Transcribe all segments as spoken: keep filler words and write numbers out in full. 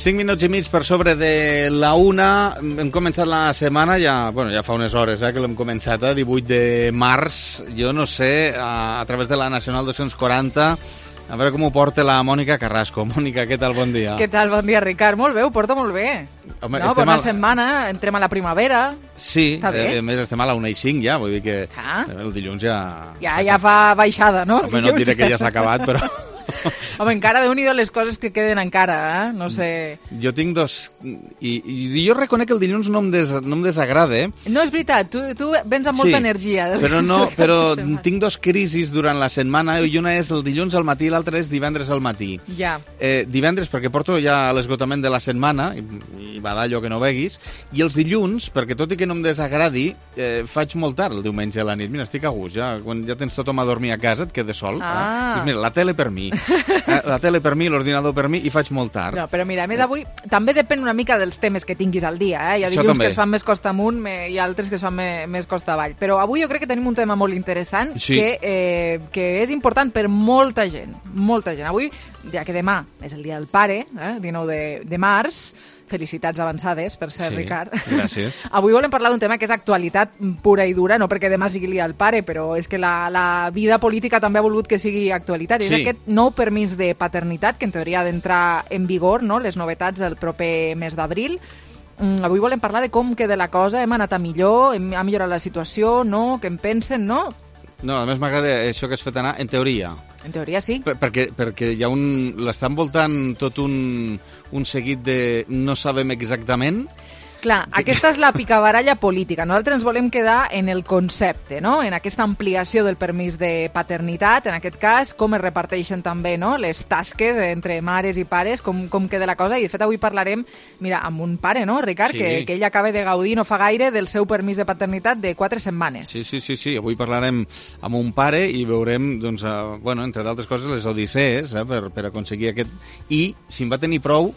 cinc minuts i mig per sobre de la una. Hem començat la setmana, ja, bueno, ja fa unes hores eh, que l'hem començat, eh, divuit de març. Jo no sé, a, a través de la Nacional dos-cents quaranta, a veure com ho porta la Mònica Carrasco. Mònica, què tal? Bon dia. Què tal? Bon dia, Ricard. Molt bé, ho porta molt bé. Home, no, bona al... setmana, entrem a la primavera. Sí, eh, a més estem a la una i cinc ja, vull dir que ah. el dilluns ja... Ja, ja fa baixada, no? Home, no et diré que ja s'ha acabat, però... Home, encara déu-n'hi-do les coses que queden encara, eh? No sé... Jo tinc dos... I, i jo reconec que el dilluns no em, des, no em desagrada, eh? No, és veritat, tu, tu vens amb molta sí, energia. Però, no, però tinc dos crisis durant la setmana, i una és el dilluns al matí i l'altra és divendres al matí. Ja. Eh, divendres, perquè porto ja l'esgotament de la setmana, i, i va d'allò que no veguis, i els dilluns, perquè tot i que no em desagradi, eh, faig molt tard el diumenge a la nit. Mira, estic a gust, ja, quan ja tens tothom a dormir a casa, et quedes sol. Ah. Eh? Pues mira, la tele per mi. La tele per mi, l'ordinador per mi, i faig molt tard. No, però mira, a més avui també depèn una mica dels temes que tinguis al dia, eh? Hi ha dilluns que es fan més costa amunt i altres que es fan més, més costa avall. Però avui jo crec que tenim un tema molt interessant sí. que, eh, que és important per molta gent, molta gent. Avui, ja que demà és el dia del pare, eh? dinou de març, felicitats avançades, per cert, sí, Ricard. Gràcies. Avui volem parlar d'un tema que és actualitat pura i dura, no perquè demà sigui el dia del pare, però és que la, la vida política també ha volgut que sigui actualitat. Sí. És aquest nou permís de paternitat, que en teoria ha d'entrar en vigor, no?, les novetats del proper mes d'abril. Mm, avui volem parlar de com queda la cosa, hem anat a millor, hem, ha millorat la situació, no?, què en pensen, no? No, a més m'agrada això que has fet anar, en teoria. En teoria sí. Per, perquè, perquè hi ha un... l'està envoltant tot un, un seguit de... no sabem exactament... Clar, aquesta és la picabaralla política. Nosaltres ens volem quedar en el concepte, no?, en aquesta ampliació del permís de paternitat, en aquest cas, com es reparteixen també, no?, les tasques entre mares i pares, com, com queda la cosa. I, de fet, avui parlarem, mira, amb un pare, no, Ricard, sí. que, que ell acaba de gaudir no fa gaire del seu permís de paternitat de quatre setmanes. Sí, sí, sí, sí. Avui parlarem amb un pare i veurem, doncs, uh, bueno, entre d'altres coses, les odissees eh, per, per aconseguir aquest... I si en va tenir prou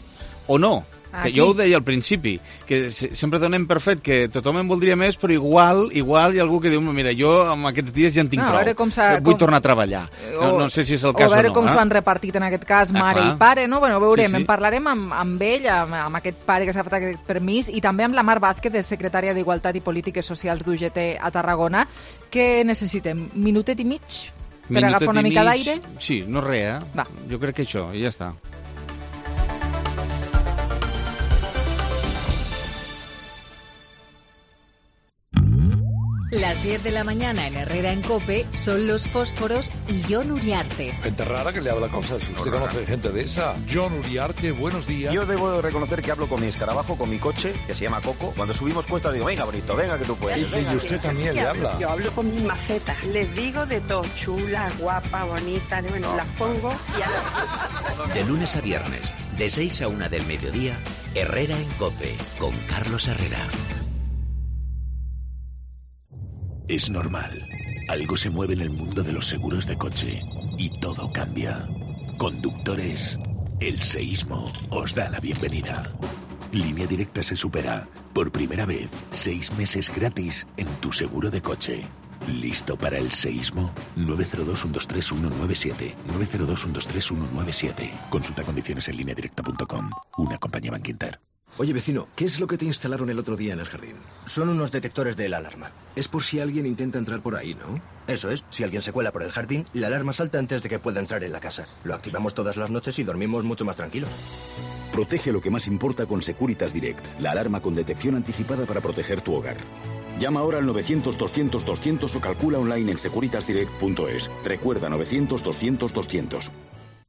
o no. Que jo ho deia al principi, que sempre donem per fet que tothom en voldria més, però igual igual hi ha algú que diu, mira, jo amb aquests dies ja en tinc no, prou, vull com... tornar a treballar. O, no, no sé si és el cas o no. O veure com eh? s'ho han repartit en aquest cas mare ah, i pare, no? Bueno, veurem, sí, sí. En parlarem amb, amb ell, amb, amb aquest pare que s'ha fet aquest permís, i també amb la Mar Vázquez, secretària d'Igualtat i Polítiques Socials d'U G T a Tarragona. Què necessitem? Minutet i mig? Per Minutet agafar una mica d'aire? Sí, no res, eh? Va. Jo crec que això, i ja està. Las diez de la mañana en Herrera en COPE son los fósforos y Jon Uriarte. Gente rara que le habla cosas. ¿Usted no conoce gente de esa? Jon Uriarte, buenos días. Yo debo de reconocer que hablo con mi escarabajo, con mi coche, que se llama Coco. Cuando subimos cuesta digo, venga, bonito, venga que tú puedes. Y, venga, y usted también le habla. Yo hablo con mi maceta. Les digo de todo, chula, guapa, bonita, bueno, no. Las pongo y a... De lunes a viernes, de seis a una del mediodía, Herrera en COPE, con Carlos Herrera. Es normal. Algo se mueve en el mundo de los seguros de coche y todo cambia. Conductores, el seísmo os da la bienvenida. Línea Directa se supera. Por primera vez, seis meses gratis en tu seguro de coche. ¿Listo para el seísmo? nueve cero dos, uno dos tres, uno nueve siete. nueve cero dos, uno dos tres, uno nueve siete. Consulta condiciones en línea directa punto com. Una compañía Bankinter. Oye, vecino, ¿qué es lo que te instalaron el otro día en el jardín? Son unos detectores de la alarma. Es por si alguien intenta entrar por ahí, ¿no? Eso es. Si alguien se cuela por el jardín, la alarma salta antes de que pueda entrar en la casa. Lo activamos todas las noches y dormimos mucho más tranquilos. Protege lo que más importa con Securitas Direct, la alarma con detección anticipada para proteger tu hogar. Llama ahora al novecientos, doscientos, doscientos o calcula online en securitas direct punto es. Recuerda novecientos, doscientos, doscientos.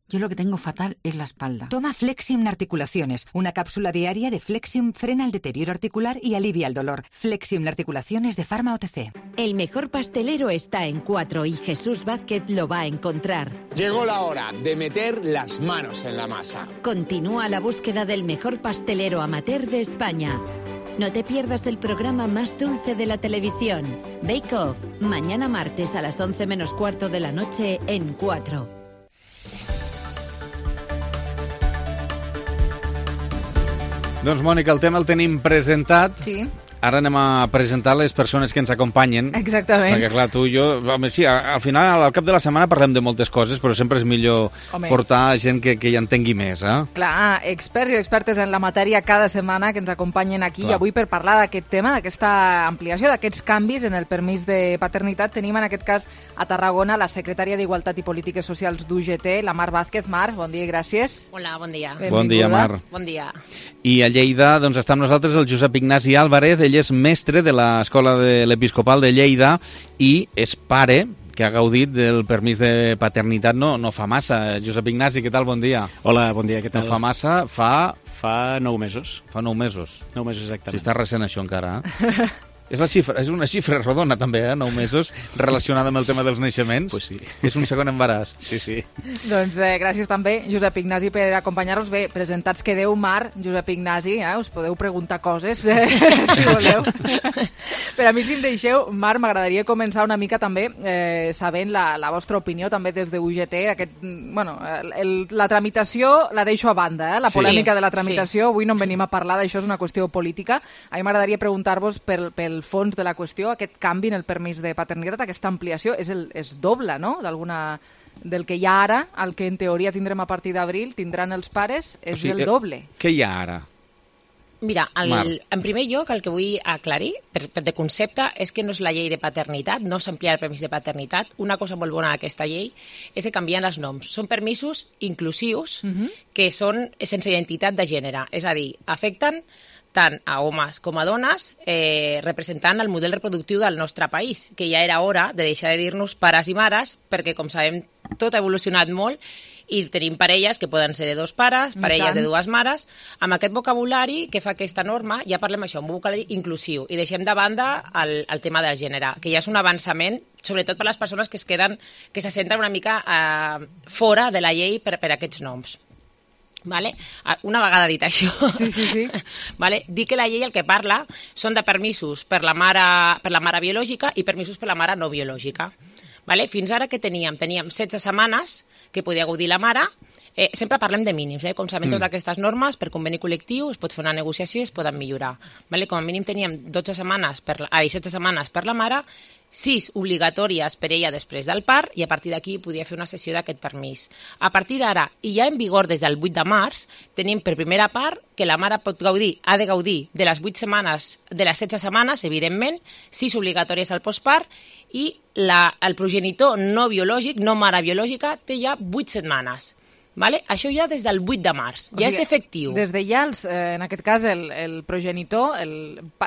Yo lo que tengo fatal es la espalda. Toma Flexium Articulaciones. Una cápsula diaria de Flexium frena el deterioro articular y alivia el dolor. Flexium Articulaciones de Pharma O T C. El mejor pastelero está en Cuatro y Jesús Vázquez lo va a encontrar. Llegó la hora de meter las manos en la masa. Continúa la búsqueda del mejor pastelero amateur de España. No te pierdas el programa más dulce de la televisión. Bake Off. Mañana martes a las once menos cuarto de la noche en Cuatro. Doncs, Mònica, el tema el tenim presentat. Sí. Ara anem a presentar les persones que ens acompanyen. Exactament. Perquè, clar, tu i jo... Home, sí, al final, al cap de la setmana parlem de moltes coses, però sempre és millor Home. portar gent que, que hi entengui més, eh? Clar, experts i expertes en la matèria cada setmana que ens acompanyen aquí. Clar. I avui, per parlar d'aquest tema, d'aquesta ampliació, d'aquests canvis en el permís de paternitat, tenim en aquest cas a Tarragona la secretària d'Igualtat i Polítiques Socials d'U G T, la Mar Vázquez. Mar, bon dia i gràcies. Hola, bon dia. Benvinguda. Bon dia, Mar. Bon dia. I a Lleida, doncs, està amb nosaltres el Josep Ignasi Álvarez. Ell és mestre de l'Escola de l'Episcopal de Lleida i és pare que ha gaudit del permís de paternitat no, no fa massa. Josep Ignasi, què tal? Bon dia. Hola, bon dia, què tal? No fa massa, fa... Fa nou mesos. Fa nou mesos. Nou mesos, exactament. Si està recent això encara, eh? És, la xifra, és una xifra rodona, també, eh? Nou mesos, relacionada amb el tema dels naixements. Pues sí. És un segon embaràs. Sí, sí. Doncs eh, gràcies també, Josep Ignasi, per acompanyar-nos. Bé, presentats quedeu, Mar, Josep Ignasi, eh? Us podeu preguntar coses, eh? si voleu. Per a mi, si em deixeu, Mar, m'agradaria començar una mica també eh, sabent la, la vostra opinió també des de U G T. Aquest, bueno, el, la tramitació la deixo a banda, eh? La polèmica sí, de la tramitació. Sí. Avui no en venim a parlar d'això, és una qüestió política. A mi m'agradaria preguntar-vos pel, pel el fons de la qüestió, aquest canvi en el permís de paternitat, aquesta ampliació, és, el, és doble, no?, d'alguna... del que hi ha ara, al que en teoria tindrem a partir d'abril, tindran els pares, és o sigui, el doble. Què hi ha ara? Mira, el, en primer lloc, el que vull aclarir, per, per de concepte, és que no és la llei de paternitat, no s'amplia el permís de paternitat. Una cosa molt bona d'aquesta llei és que canvien els noms. Són permisos inclusius uh-huh. que són sense identitat de gènere, és a dir, afecten tant a homes com a dones, eh, representant el model reproductiu del nostre país, que ja era hora de deixar de dir-nos pares i mares, perquè, com sabem, tot ha evolucionat molt i tenim parelles que poden ser de dos pares, parelles de dues mares. Amb aquest vocabulari que fa aquesta norma ja parlem això, un vocabulari inclusiu, i deixem de banda el, el tema del gènere, que ja és un avançament, sobretot per les persones que es queden, que se senten una mica eh, fora de la llei per, per aquests noms. Vale? Una vegada dit això, sí, sí, sí. Vale? Dir que la llei el que parla són de permisos per la mare, per la mare biològica i permisos per la mare no biològica. Vale? Fins ara que teníem? Teníem setze setmanes que podia gaudir la mare. Eh, sempre parlem de mínims, eh? Com sabem, mm. totes aquestes normes per conveni col·lectiu es pot fer una negociació i es poden millorar. Vale? Com a mínim teníem dotze setmanes per la, ai, setze setmanes per la mare, sis obligatòries per ella després del part, i a partir d'aquí podia fer una sessió d'aquest permís. A partir d'ara, i ja en vigor des del vuit de març, tenim per primera part que la mare pot gaudir, ha de gaudir de les vuit setmanes, de les setze setmanes, evidentment, sis obligatòries al postpart, i la, el progenitor no biològic, no mare biològica, té ja vuit setmanes. Vale? Això ja des del vuit de març, ja o sigui, és efectiu. Des de ja, els, eh, en aquest cas, el, el progenitor, el,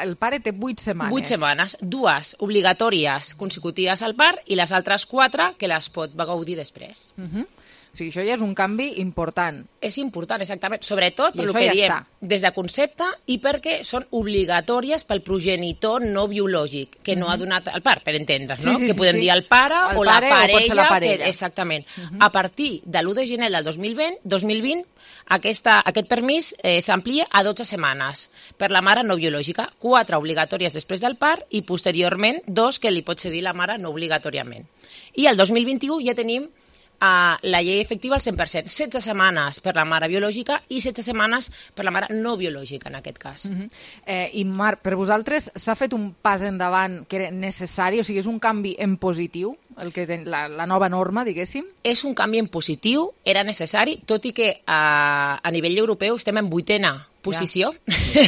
el pare té vuit setmanes. Vuit setmanes, dues obligatòries consecutives al part i les altres quatre que les pot gaudir després. Uh-huh. O sigui, això ja és un canvi important. És important, exactament. Sobretot per el que ja diem, està. Des de concepte i perquè són obligatòries pel progenitor no biològic, que no uh-huh. ha donat el part, per entendre's, no? Sí, sí, que podem sí, dir el pare el o, pare, la parella, o la parella. Que, exactament. Uh-huh. A partir de l'u de gener del dos mil vint, dos mil vint aquesta, aquest permís eh, s'amplia a dotze setmanes per la mare no biològica, quatre obligatòries després del part i posteriorment dos que li pot cedir la mare no obligatòriament. I el dos mil vint-i-u ja tenim a la llei efectiva al cent per cent. setze setmanes per la mare biològica i setze setmanes per la mare no biològica, en aquest cas. Uh-huh. eh, I, Marc, per vosaltres s'ha fet un pas endavant que era necessari? O sigui, és un canvi en positiu, el que ten, la, la nova norma, diguéssim? És un canvi en positiu, era necessari, tot i que a, a nivell europeu estem en vuitena posició, ja.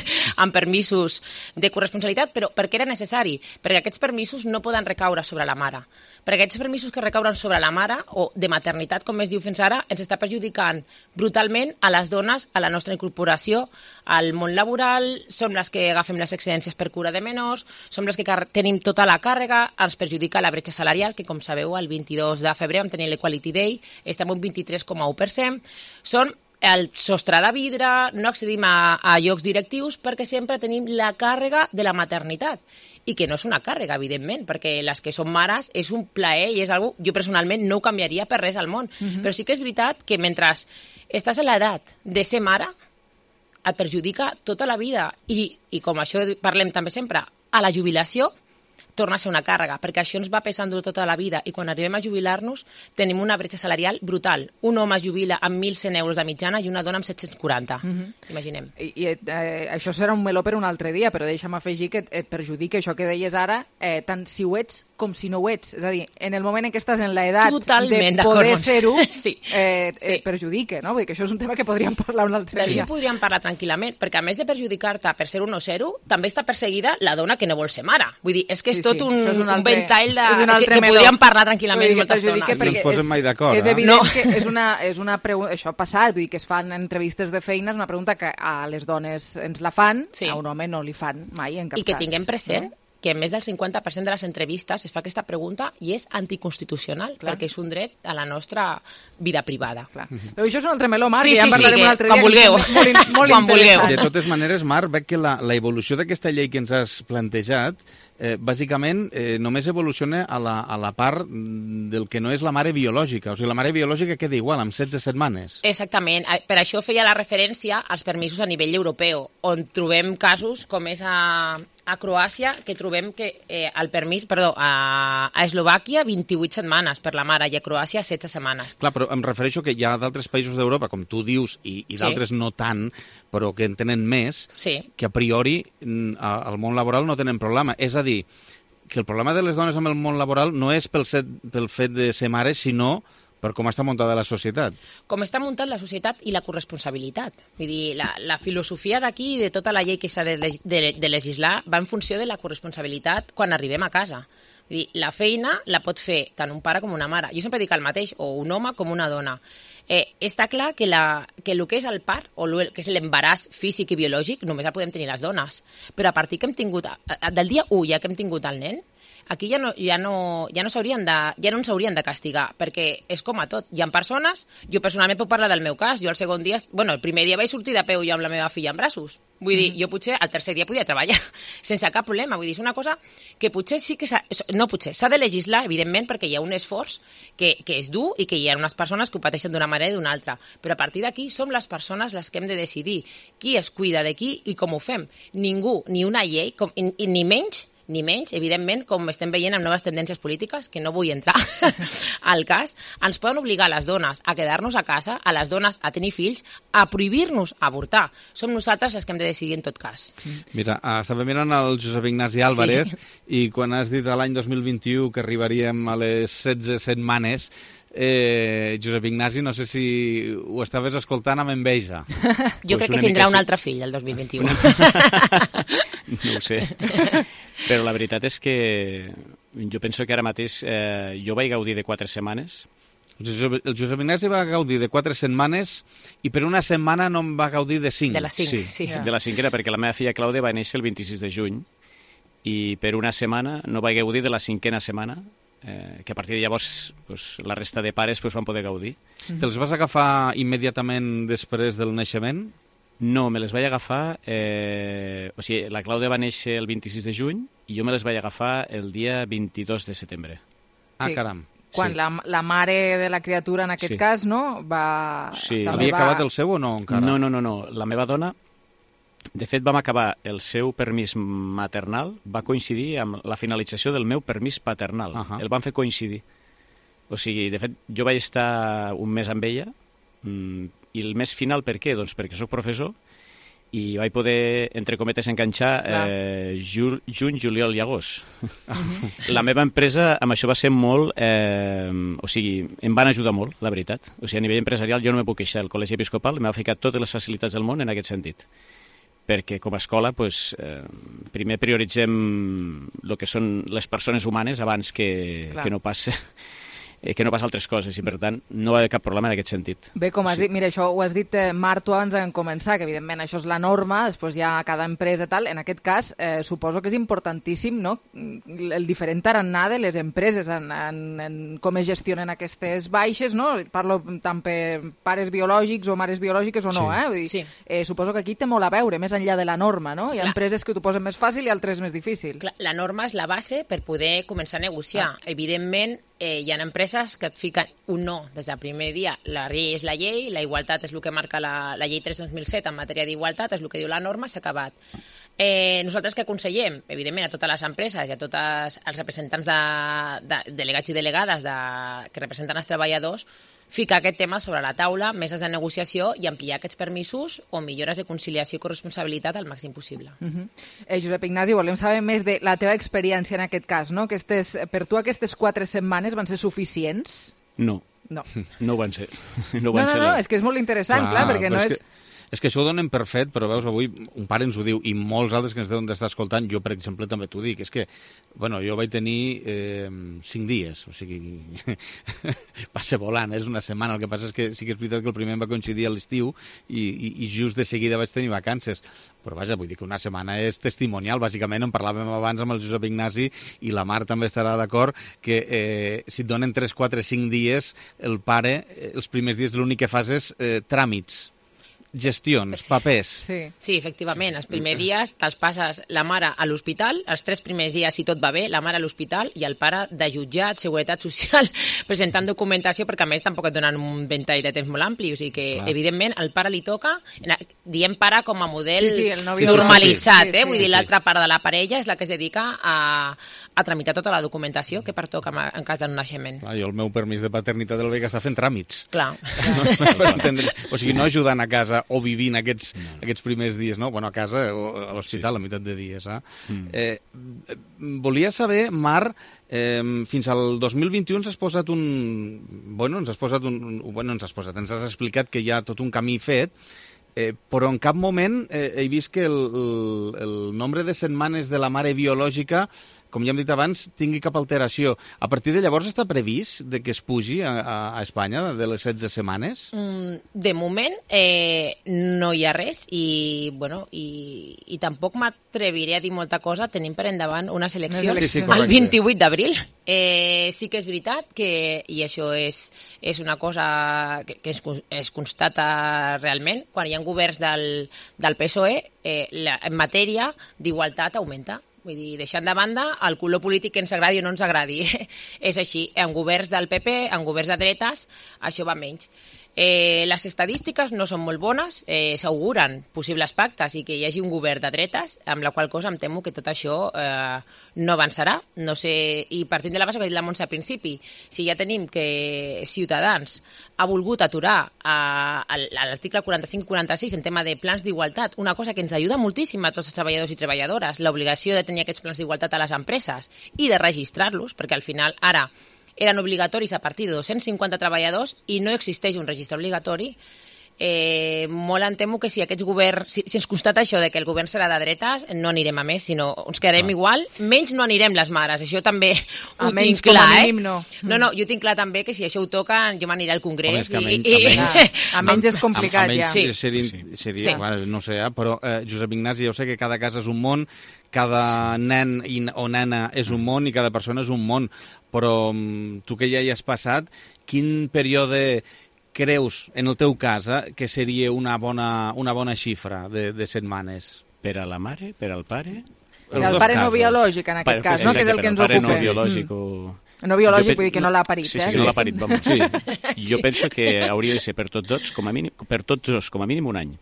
amb permisos de corresponsabilitat, però per què era necessari? Perquè aquests permisos no poden recaure sobre la mare. Perquè aquests permisos que recauren sobre la mare, o de maternitat, com es diu fins ara, ens està perjudicant brutalment a les dones, a la nostra incorporació al món laboral, som les que agafem les excedències per cura de menors, som les que tenim tota la càrrega, ens perjudica la bretxa salarial, que com sabeu, el vint-i-dos de febrer vam tenir l'Equality Day, estem un vint-i-tres coma u per cent, són el sostre de vidre, no accedim a, a llocs directius perquè sempre tenim la càrrega de la maternitat. I que no és una càrrega, evidentment, perquè les que són mares és un plaer i és algo, jo personalment no ho canviaria per res al món. Uh-huh. Però sí que és veritat que mentre estàs a l'edat de ser mare, et perjudica tota la vida. I, i com això parlem també sempre, a la jubilació torna a ser una càrrega, perquè això ens va pesant durant tota la vida i quan arribem a jubilar-nos tenim una bretxa salarial brutal. Un home es jubila amb mil cent euros de mitjana i una dona amb set-cents quaranta. Mm-hmm. Imaginem. I, i eh, això serà un meló per un altre dia, però deixa'm afegir que et, et perjudica això que deies ara, eh, tant si ho ets com si no ho ets. És a dir, en el moment en què estàs en l'edat Totalment de poder ser-ho, sí. eh, sí. et perjudica, no? Vull dir que això és un tema que podríem parlar un altre D'això dia. podríem parlar tranquil·lament, perquè a més de perjudicar-te per ser un o ser-ho, també està perseguida la dona que no vol ser mare. Vull dir, és que és Sí, tot sí, un, això és un un altre- ventall de, és un que, altre que meló. podríem parlar tranquil·lament Vull dir, moltes perjudica estones. No ens posem mai d'acord, És eh? evident No. que és una, és una pregunta, això ha passat, vull dir que es fan entrevistes de feina, és una pregunta que a les dones ens la fan, Sí. a un home no li fan mai, en cap I que cas. tinguem present no? que més del cinquanta per cent de les entrevistes es fa aquesta pregunta i és anticonstitucional, Clar. perquè és un dret a la nostra vida privada. Clar. Però això és un altre meló, Marc, Sí, i ja sí, en parlarem sí, un que altre quan dia. que vulgueu. és Molt, molt, molt Quan vulgueu. interessant. De totes maneres, Marc, veig que la, la evolució d'aquesta llei que ens has plantejat eh, bàsicament eh, només evoluciona a la, a la part del que no és la mare biològica. O sigui, la mare biològica queda igual, amb setze setmanes. Exactament. Per això feia la referència als permisos a nivell europeu, on trobem casos com és a, a Croàcia, que trobem que eh, el permís, perdó, a, a Eslovàquia vint-i-vuit setmanes per la mare i a Croàcia setze setmanes. Clar, però em refereixo que hi ha d'altres països d'Europa, com tu dius, i, i Sí. d'altres no tant, però que en tenen més, Sí. que a priori mm, a- al món laboral no tenen problema. És a dir, que el problema de les dones amb el món laboral no és pel, set, pel fet de ser mares, sinó per com està muntada la societat. Com està muntat la societat i la corresponsabilitat. Vull dir, la, la filosofia d'aquí i de tota la llei que s'ha de, leg- de, de legislar va en funció de la corresponsabilitat quan arribem a casa. Vull dir, la feina la pot fer tant un pare com una mare. Jo sempre dic el mateix, o un home com una dona. Eh, està clar que, la, que el que és el part, o el que és l'embaràs físic i biològic, només el podem tenir les dones. Però a partir que hem tingut, a- a- del dia u ja que hem tingut el nen, aquí ja no, ja no, ja no s'haurien de, ja no ens haurien de castigar, perquè és com a tot. Hi ha persones, jo personalment puc parlar del meu cas, jo el segon dia, bueno, el primer dia vaig sortir de peu jo amb la meva filla en braços. Vull dir, jo potser el tercer dia podia treballar sense cap problema. Vull dir, és una cosa que potser sí que s'ha, no potser, s'ha de legislar, evidentment, perquè hi ha un esforç que, que és dur i que hi ha unes persones que ho pateixen d'una manera i d'una altra. Però a partir d'aquí som les persones les que hem de decidir qui es cuida de qui i com ho fem. Ningú, ni una llei, com, i, i ni menys ni menys, evidentment, com estem veient amb noves tendències polítiques, que no vull entrar al cas, ens poden obligar a les dones a quedar-nos a casa, a les dones a tenir fills, a prohibir-nos avortar. Som nosaltres les que hem de decidir en tot cas. Mira, uh, estava mirant el Josep Ignasi Álvarez sí. i quan has dit a l'any dos mil vint-i-u que arribaríem a les setze setmanes, eh, Josep Ignasi, no sé si ho estaves escoltant amb enveja. Jo pues crec que tindrà un altre fill el dos mil vint-i-u. No ho sé. Però la veritat és que jo penso que ara mateix eh, jo vaig gaudir de quatre setmanes. El Josep, el Josep Ignasi va gaudir de quatre setmanes i per una setmana no en va gaudir de cinc. De les cinc, sí. sí. Yeah. De la cinquena, perquè la meva filla Clàudia va néixer el vint-i-sis de juny i per una setmana no vaig gaudir de la cinquena setmana, eh, que a partir de llavors pues, la resta de pares pues, van poder gaudir. Mm-hmm. Te'ls vas agafar immediatament després del naixement? No, me les vaig agafar... Eh, o sigui, la Clàudia va néixer el vint-i-sis de juny i jo me les vaig agafar el dia vint-i-dos de setembre. Ah, sí. Caram. Quan sí. la, la mare de la criatura, en aquest sí. cas, no? Va... Sí. Havia va... acabat el seu o no, encara? No, no, no, no. La meva dona, de fet, vam acabar el seu permís maternal, va coincidir amb la finalització del meu permís paternal. Uh -huh. El van fer coincidir. O sigui, de fet, jo vaig estar un mes amb ella, mmm, i el mes final per què? Doncs perquè sóc professor i vaig poder, entre cometes, enganxar eh, ju juny, juliol i agost. Uh-huh. La meva empresa amb això va ser molt... Eh, o sigui, em van ajudar molt, la veritat. O sigui, a nivell empresarial jo no me puc queixar. El Col·legi Episcopal m'ha ficat totes les facilitats del món en aquest sentit. Perquè com a escola, pues, eh, primer prioritzem el que són les persones humanes abans que, que no passe... que no passa altres coses i per tant no va haver cap problema en aquest sentit. Bé, com has sí. dit, mira, això ho has dit eh, Marc, tu abans en començar, que evidentment això és la norma, després hi ha cada empresa tal, en aquest cas eh, suposo que és importantíssim, no?, el diferent tarannà de les empreses en, en, en com es gestionen aquestes baixes, no? Parlo tant per pares biològics o mares biològiques o no, sí. eh? Vull dir, sí. eh, suposo que aquí té molt a veure, més enllà de la norma, no? Hi ha Clar. empreses que t'ho posen més fàcil i altres més difícil. Clar, la norma és la base per poder començar a negociar. Ah. Evidentment, eh, hi ha empreses que et fiquen un no des del primer dia. La llei és la llei, la igualtat és el que marca la, la llei tres dos mil set en matèria d'igualtat, és el que diu la norma, s'ha acabat. Eh, nosaltres que aconsellem, evidentment, a totes les empreses i a tots els representants de, de delegats i delegades de, que representen els treballadors, ficar aquest tema sobre la taula, meses de negociació i ampliar aquests permisos o millores de conciliació i corresponsabilitat al màxim possible. Uh -huh. eh, Josep Ignasi, volem saber més de la teva experiència en aquest cas, no? Aquestes, per tu aquestes quatre setmanes van ser suficients? No. No. No ho van ser. No, no, no, no, és que és molt interessant, clar, clar perquè no és... Que... És que això ho donem per fet, però veus, avui un pare ens ho diu, i molts altres que ens deuen d'estar escoltant, jo, per exemple, també t'ho dic, és que, bueno, jo vaig tenir eh, cinc dies, o sigui, va ser volant, és una setmana, el que passa és que sí que és veritat que el primer em va coincidir a l'estiu i, i, i just de seguida vaig tenir vacances, però vaja, vull dir que una setmana és testimonial, bàsicament, en parlàvem abans amb el Josep Ignasi, i la Mar també estarà d'acord, que eh, si et donen tres, quatre, cinc dies, el pare, eh, els primers dies l'únic que fas és eh, tràmits, gestions, papers. Sí, sí efectivament. Els primers dies te'ls passes la mare a l'hospital, els tres primers dies, si tot va bé, la mare a l'hospital i el pare de jutjat, seguretat social, presentant documentació, perquè a més tampoc et donen un ventall de temps molt ampli, o sigui que, clar, evidentment, al pare li toca, diem pare com a model sí, sí, el normalitzat, sí, sí, eh? Vull sí, dir, sí. l'altra part de la parella és la que es dedica a, a tramitar tota la documentació que pertoca en cas d'un naixement. Clar, jo el meu permís de paternitat el vaig estar fent tràmits. Clar. O sigui, no ajudant a casa o vivint aquests, no. aquests primers dies, no? Bueno, a casa o a l'hospital, sí, sí. a meitat de dies. Eh? Mm. Eh, volia saber, Mar, eh, fins al dos mil vint-i-u ens has posat un... Bueno, ens has posat un... Bueno, ens has posat, ens has explicat que hi ha tot un camí fet, eh, però en cap moment eh, he vist que el, el, el nombre de setmanes de la mare biològica, com ja hem dit abans, tingui cap alteració. A partir de llavors està previst de que es pugi a, a, a Espanya de les setze setmanes? Mm, de moment eh, no hi ha res i, bueno, i, i tampoc m'atreviré a dir molta cosa. Tenim per endavant unes eleccions sí, sí, el vint-i-vuit d'abril. Eh, sí que és veritat que, i això és, és una cosa que, que es, es constata realment, quan hi ha governs del, del P S O E, eh, la, en matèria d'igualtat augmenta. Vull dir, deixant de banda el color polític que ens agradi o no ens agradi. És així, en governs del P P, en governs de dretes, això va menys. Eh, les estadístiques no són molt bones, eh, s'auguren possibles pactes i que hi hagi un govern de dretes, amb la qual cosa em temo que tot això eh, no avançarà. No sé, i partint de la base que ha dit la Montse al principi, si ja tenim que Ciutadans ha volgut aturar a, a l'article quaranta-cinc quaranta-sis en tema de plans d'igualtat, una cosa que ens ajuda moltíssim a tots els treballadors i treballadores, l'obligació de tenir aquests plans d'igualtat a les empreses i de registrar-los, perquè al final ara eren obligatoris a partir de dos-cents cinquanta treballadors i no existeix un registre obligatori. Eh, molt em temo que si aquests governs, si, si ens constata això de que el govern serà de dretes, no anirem a més, sinó ens quedarem ah. igual, menys no anirem les mares, això també ho a tinc clar, eh? Mínim, no. no, no, jo tinc clar també que si això ho toca, jo m'aniré al Congrés. Home, i, i, i, i, a menys és complicat a, a, a ja. Sí. Seria, seria, sí. Bueno, no sé, eh? Però eh, Josep Ignasi, jo sé que cada casa és un món, cada nen i, o nena és un món i cada persona és un món, però tu que ja hi has passat, quin període creus, en el teu cas, eh, que seria una bona, una bona xifra de, de setmanes? Per a la mare, per al pare? Per al pare no biològic, en aquest cas, no? Que és el que ens ocupa. No biològic o... No biològic, vull dir que no l'ha parit, sí, eh? Sí, no l'ha parit, vamos. Sí. Jo penso que hauria de ser per tots dos, com a mínim, per tots dos, com a mínim un any.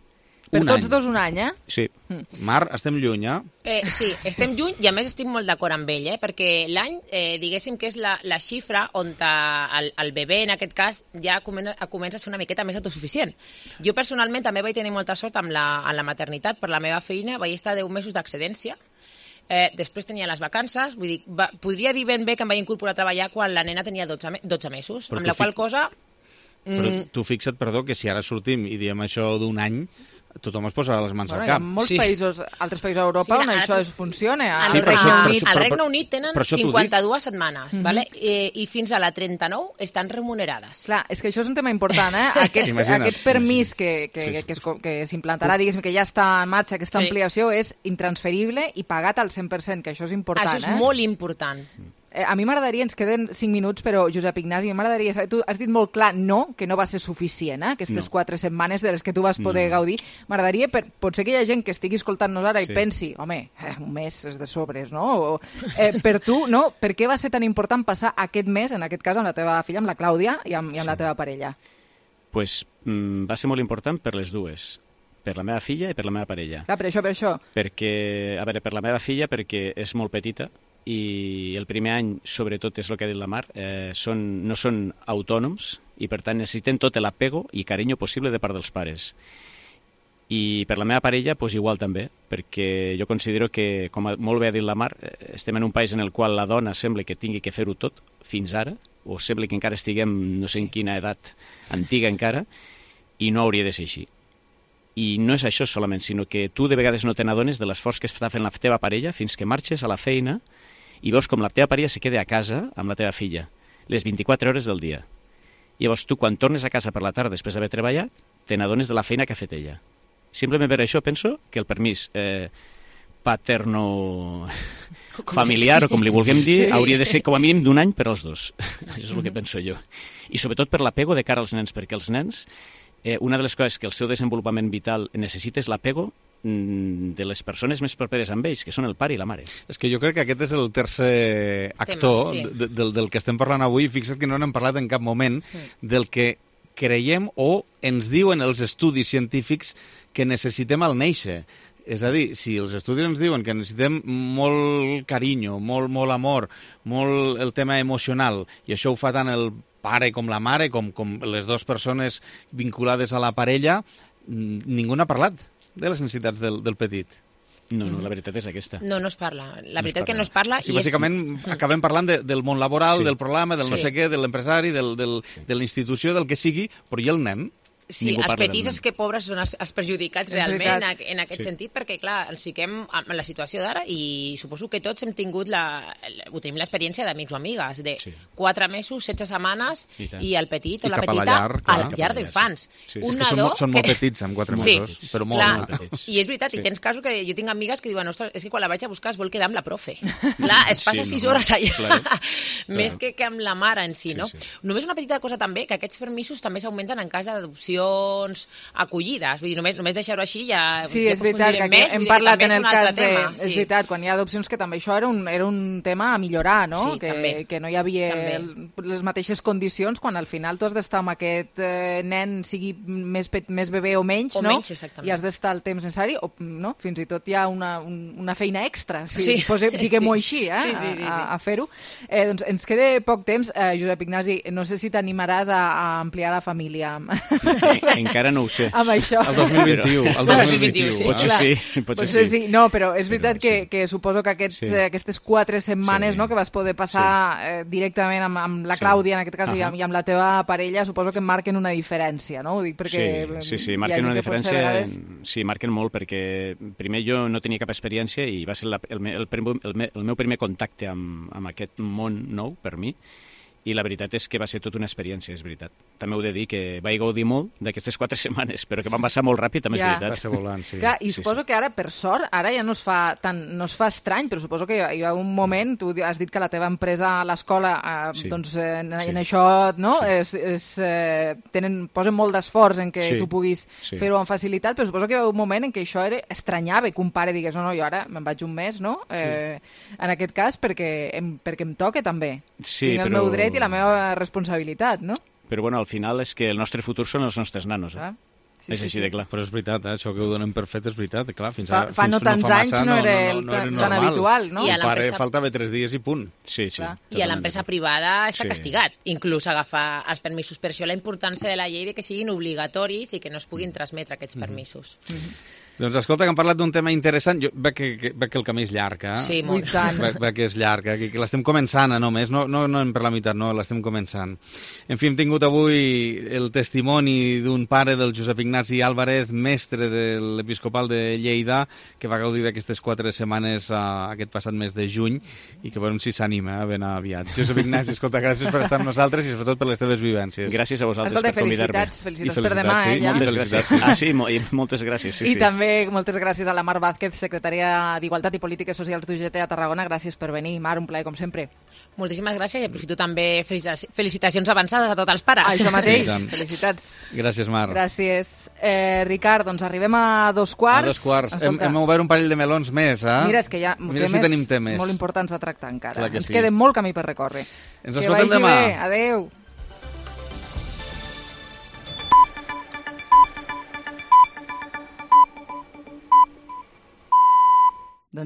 Per un tots any. dos un any, eh? Sí. Mm. Mar, estem lluny, eh? eh? Sí, estem lluny i a més estic molt d'acord amb ell, eh? Perquè l'any, eh, diguéssim que és la, la xifra on el, el bebè, en aquest cas, ja comença, comença a ser una miqueta més autosuficient. Jo personalment també vaig tenir molta sort amb la, amb la maternitat, per la meva feina vaig estar deu mesos d'excedència. Eh, després tenia les vacances, vull dir, va, podria dir ben bé que em vaig incorporar a treballar quan la nena tenia dotze, dotze mesos, però amb la qual cosa... Però mm, tu fixa't, perdó, que si ara sortim i diem això d'un any, tothom es posarà les mans bueno, al cap. Hi ha molts sí. països, altres països d'Europa sí, on això tu... funciona. Al sí, Regne, això, Unit, al Regne Unit tenen cinquanta-dues setmanes, mm -hmm. vale? I, i fins a la trenta-nou estan remunerades. Clar, és que això és un tema important, eh? Aquest, aquest permís que, que, sí, sí. que, que, que s'implantarà, diguéssim, que ja està en marxa, aquesta sí. ampliació, és intransferible i pagat al cent per cent, que això és important. Això és eh? molt important. Eh, a mi m'agradaria, ens queden cinc minuts, però Josep Ignasi, m'agradaria saber, tu has dit molt clar no, que no va ser suficient, eh? Aquestes no. quatre setmanes de les que tu vas poder no. gaudir. M'agradaria, per, potser que hi ha gent que estigui escoltant-nos ara sí. i pensi, home, eh, un mes és de sobres, no? O, eh, per tu, no? Per què va ser tan important passar aquest mes, en aquest cas amb la teva filla, amb la Clàudia i amb, i amb sí. la teva parella? Pues mm, va ser molt important per les dues. per la meva filla i per la meva parella. Clar, per això, per això. Perquè, a veure, per la meva filla, perquè és molt petita i el primer any, sobretot, és el que ha dit la Mar, eh, són, no són autònoms i, per tant, necessiten tot l'apego i carinyo possible de part dels pares. I per la meva parella, doncs igual també, perquè jo considero que, com molt bé ha dit la Mar, estem en un país en el qual la dona sembla que tingui que fer-ho tot fins ara, o sembla que encara estiguem no sé en quina edat antiga encara, i no hauria de ser així. I no és això solament, sinó que tu de vegades no te n'adones de l'esforç que està fent la teva parella fins que marxes a la feina i veus com la teva parella se queda a casa amb la teva filla, les vint-i-quatre hores del dia. Llavors tu, quan tornes a casa per la tarda després d'haver treballat, te n'adones de la feina que ha fet ella. Simplement per això penso que el permís eh, paterno familiar, o com li vulguem dir, sí. hauria de ser com a mínim d'un any per als dos. Això és el que penso jo. I sobretot per l'apego de cara als nens, perquè els nens, eh, una de les coses que el seu desenvolupament vital necessita és l'apego de les persones més properes amb ells, que són el pare i la mare. És que jo crec que aquest és el tercer actor sí. de, de, del que estem parlant avui. Fixa't que no n'hem parlat en cap moment sí. del que creiem o ens diuen els estudis científics que necessitem al néixer. És a dir, si els estudis ens diuen que necessitem molt carinyo, molt, molt amor, molt el tema emocional, i això ho fa tant el pare com la mare, com, com les dues persones vinculades a la parella, ningú n'ha parlat de les necessitats del, del petit. No, no, la veritat és aquesta. No, no es parla. La veritat no que no es parla... Sí, i bàsicament és... acabem parlant de, del món laboral, sí. del programa, del sí. no sé què, de l'empresari, del, del, de la institució, del que sigui, però i el nen? Sí, els petits és que pobres són els, els perjudicats realment en, en aquest sí. sentit, perquè, clar, ens fiquem en la situació d'ara i suposo que tots hem tingut la, ho tenim l'experiència d'amics o amigues, de sí. quatre mesos, setze setmanes, i, i el petit o la petita a la llar, a la llar d'infants. Sí. Un nadó... Són, són molt petits, amb quatre sí. mesos, però molt, clar, molt petits. I és veritat, sí. i tens casos que jo tinc amigues que diuen, ostres, és que quan la vaig a buscar es vol quedar amb la profe. Clar, es passa sí, sis no, hores allà, claro. més que, que amb la mare en si, no? Sí, sí. Només una petita cosa també, que aquests permisos també s'augmenten en cas d'adopcions, acollides, vull dir, només, només deixar-ho així ja, sí, ja és veritat, que més, hem parlat en el cas de... Tema, sí. És veritat, quan hi ha adopcions que també això era un, era un tema a millorar, no? Sí, que, també. que no hi havia el, les mateixes condicions quan al final tu has d'estar amb aquest eh, nen, sigui més, més bebè o menys, o no? Menys, exactament. I has d'estar el temps necessari, o no? Fins i tot hi ha una, un, una feina extra, si sí. posem, diguem-ho sí. així, eh? sí, sí, sí, sí. a, a fer-ho. Eh, doncs ens queda poc temps. Eh, Josep Ignasi, no sé si t'animaràs a, a ampliar la família. Encara no ho sé. Amb això. El dos mil vint-i-u. El dos mil vint-i-u, sí. Potser sí, potser, potser sí. sí. No, però és veritat però, que, sí. que suposo que aquests, sí. eh, aquestes quatre setmanes sí. no, que vas poder passar sí. eh, directament amb, amb la Clàudia, sí. en aquest cas, uh -huh. i, amb, i amb la teva parella, suposo que marquen una diferència, no? Ho dic perquè... Sí, sí, sí marquen una diferència... Vegades... Sí, marquen molt, perquè primer jo no tenia cap experiència i va ser la, el, el, el, el meu primer contacte amb, amb aquest món nou, per mi, i la veritat és que va ser tota una experiència, és veritat. També heu de dir que vaig gaudir molt d'aquestes quatre setmanes, però que van passar molt ràpid, també ja. és veritat. Va ser volant, sí. Clar, I sí, suposo sí. que ara, per sort, ara ja no es fa tan, no es fa estrany, però suposo que hi ha un moment, tu has dit que la teva empresa a l'escola, eh, sí. doncs en, sí. en això, no? Sí. És, és, eh, tenen, posen molt d'esforç en que sí. tu puguis sí. fer-ho amb facilitat, però suposo que hi ha un moment en què això era estranyava, que un pare digués, no, no, jo ara me'n vaig un mes, no? Eh, sí. En aquest cas, perquè em, perquè em toca també. Sí, Tinc el però... meu dret i la meva responsabilitat, no? Però bueno, al final és que el nostre futur són els nostres nanos. Eh? Ah, sí, és sí, així sí. de clar. Però és veritat, eh? Això que ho donem per fet és veritat. Clar, fins fa, a, fa fins no tants no fa anys massa, no, no, era, no, no, no tan, era tan normal. habitual, no? I a el pare faltava tres dies i punt. Sí, sí. I a l'empresa privada està sí. castigat, inclús agafar els permisos. Per això la importància de la llei de que siguin obligatoris i que no es puguin transmetre aquests permisos. Mm-hmm. Doncs escolta, que hem parlat d'un tema interessant. Jo veig que, que, veig que el camí és llarg, eh? Sí, molt. Veig, veig que és llarg, eh? que, que l'estem començant, eh, només. No, no, no per la meitat, no, l'estem començant. En fi, hem tingut avui el testimoni d'un pare del Josep Ignasi Álvarez, mestre de l'Episcopal de Lleida, que va gaudir d'aquestes quatre setmanes uh, aquest passat mes de juny i que veurem si s'anima eh, ben aviat. Josep Ignasi, escolta, gràcies per estar amb nosaltres i sobretot per les teves vivències. Gràcies a vosaltres escolta, per convidar-me. Felicitats, felicitats, felicitats per demà, sí, eh, ja. Moltes gràcies. Ah, sí, mo i moltes gràcies. Sí, I sí. també moltes gràcies a la Mar Vázquez, secretària d'Igualtat i Polítiques Socials d'U G T a Tarragona. Gràcies per venir. Mar, un plaer, com sempre. Moltíssimes gràcies i aprofito també felicitacions avançades a tots els pares. Això mateix. Sí, Felicitats. Gràcies, Mar. Gràcies. Eh, Ricard, doncs arribem a dos quarts. A dos quarts. Hem, hem obert un parell de melons més, eh? Mira, és que hi ha Mira temes, si tenim temes molt importants a tractar encara. Ens sí. queda molt camí per recórrer. Ens que escoltem vagi demà. bé. Adéu.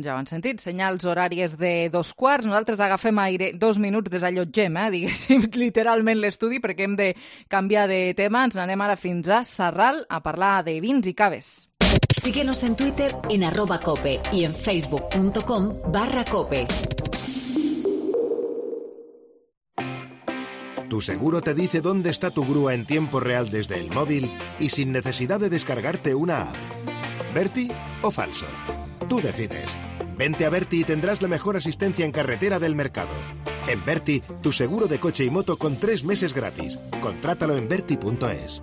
doncs ja ho han sentit, senyals horàries de dos quarts. Nosaltres agafem aire dos minuts, desallotgem, eh, diguéssim, literalment l'estudi, perquè hem de canviar de tema. Ens n'anem ara fins a Sarral a parlar de vins i caves. Síguenos en Twitter en arroba cope y en facebook punto com barra cope. Tu seguro te dice dónde está tu grúa en tiempo real desde el móvil y sin necesidad de descargarte una app. ¿Berti o falso? Tú decides. Vente a Berti y tendrás la mejor asistencia en carretera del mercado. En Berti, tu seguro de coche y moto con tres meses gratis. Contrátalo en berti punto es.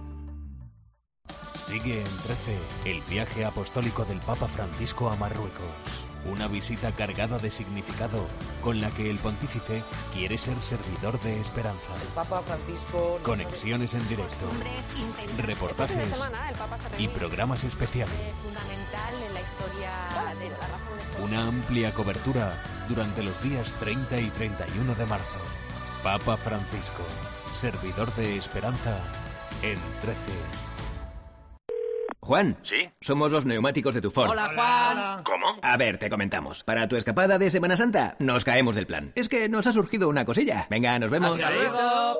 Sigue en trece el viaje apostólico del Papa Francisco a Marruecos. Una visita cargada de significado con la que el pontífice quiere ser servidor de esperanza. El Papa Francisco... Conexiones en directo, reportajes y programas especiales. Una amplia cobertura durante los días treinta y treinta y uno de marzo. Papa Francisco, servidor de esperanza en trece. Juan. ¿Sí? Somos los neumáticos de tu Ford. Hola, Juan. ¿Cómo? A ver, te comentamos. Para tu escapada de Semana Santa, nos caemos del plan. Es que nos ha surgido una cosilla. Venga, nos vemos. Hasta luego.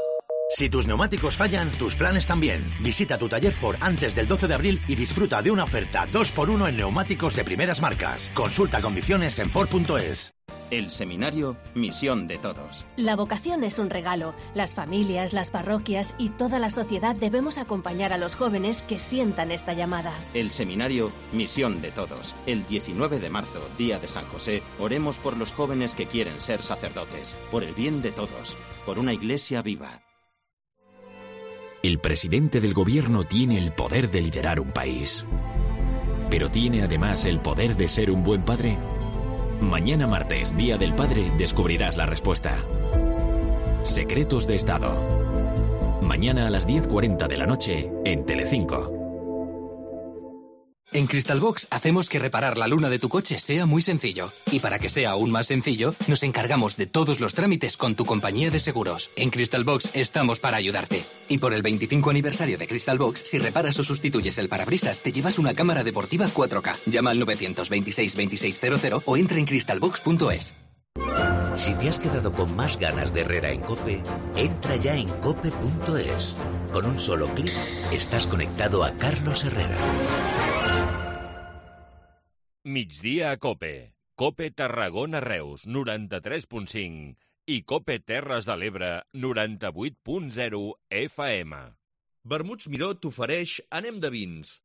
Si tus neumáticos fallan, tus planes también. Visita tu taller Ford antes del doce de abril y disfruta de una oferta dos por uno en neumáticos de primeras marcas. Consulta condiciones en Ford punto es. El seminario Misión de Todos. La vocación es un regalo. Las familias, las parroquias y toda la sociedad debemos acompañar a los jóvenes que sientan esta llamada. El seminario Misión de Todos. El diecinueve de marzo, día de San José, oremos por los jóvenes que quieren ser sacerdotes, por el bien de todos, por una iglesia viva. El presidente del gobierno tiene el poder de liderar un país. ¿Pero tiene además el poder de ser un buen padre? Mañana martes, Día del Padre, descubrirás la respuesta. Secretos de Estado. Mañana a las diez cuarenta de la noche en Telecinco. En Crystalbox hacemos que reparar la luna de tu coche sea muy sencillo. Y para que sea aún más sencillo, nos encargamos de todos los trámites con tu compañía de seguros. En Crystalbox estamos para ayudarte. Y por el veinticinco aniversario de Crystalbox, si reparas o sustituyes el parabrisas, te llevas una cámara deportiva cuatro K. Llama al nueve dos seis, veintiséis cero cero o entra en crystalbox punto es. Si te has quedado con más ganas de Herrera en COPE, entra ya en cope punto es. Con un solo clic, estás conectado a Carlos Herrera. Migdia a COPE. COPE Tarragona Reus, noranta-tres punt cinc. I COPE Terres de l'Ebre, noranta-vuit punt zero F M. Vermuts Miró t'ofereix Anem de vins.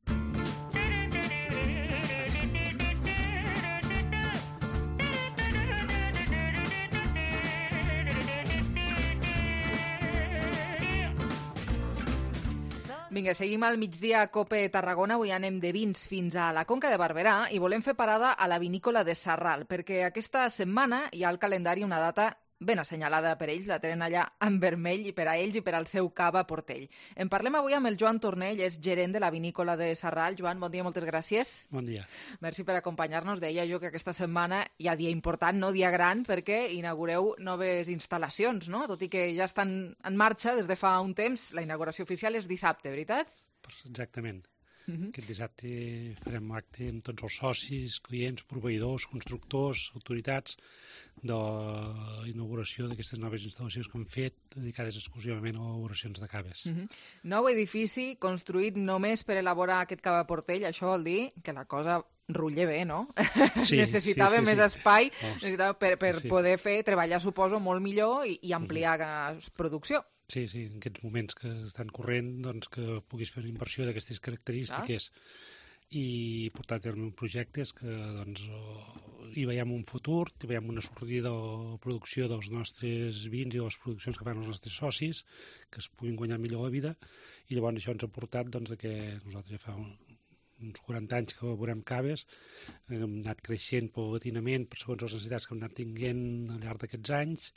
Vinga, seguim al migdia a COPE Tarragona. Avui anem de vins fins a la Conca de Barberà i volem fer parada a la vinícola de Sarral, perquè aquesta setmana hi ha al calendari una data ben assenyalada per ells, la tenen allà en vermell, i per a ells i per al seu cava Portell. En parlem avui amb el Joan Tornell, és gerent de la vinícola de Sarral. Joan, bon dia, moltes gràcies. Bon dia. Merci per acompanyar-nos. Deia jo que aquesta setmana hi ha dia important, no dia gran, perquè inaugureu noves instal·lacions, no? Tot i que ja estan en marxa des de fa un temps, la inauguració oficial és dissabte, veritat? Exactament. Uh-huh. Aquest dissabte farem acte amb tots els socis, clients, proveïdors, constructors, autoritats de l'inauguració d'aquestes noves instal·lacions que hem fet dedicades exclusivament a elaboracions de caves. Uh-huh. Nou edifici construït només per elaborar aquest cava Portell, això vol dir que la cosa rutlla bé, no? Sí, necessitava sí, sí, més sí. espai, oh, necessitava per, per sí. poder fer, treballar, suposo, molt millor i, i ampliar uh-huh. producció. Sí, sí, en aquests moments que estan corrent, doncs que puguis fer una inversió d'aquestes característiques ah. i portar a terme projectes que doncs, hi veiem un futur, hi veiem una sortida de producció dels nostres vins i de les produccions que fan els nostres socis, que es puguin guanyar millor la vida, i llavors això ens ha portat doncs, que nosaltres ja fa un, uns quaranta anys que elaborem caves, hem anat creixent paulatinament segons les necessitats que hem anat tinguent al llarg d'aquests anys,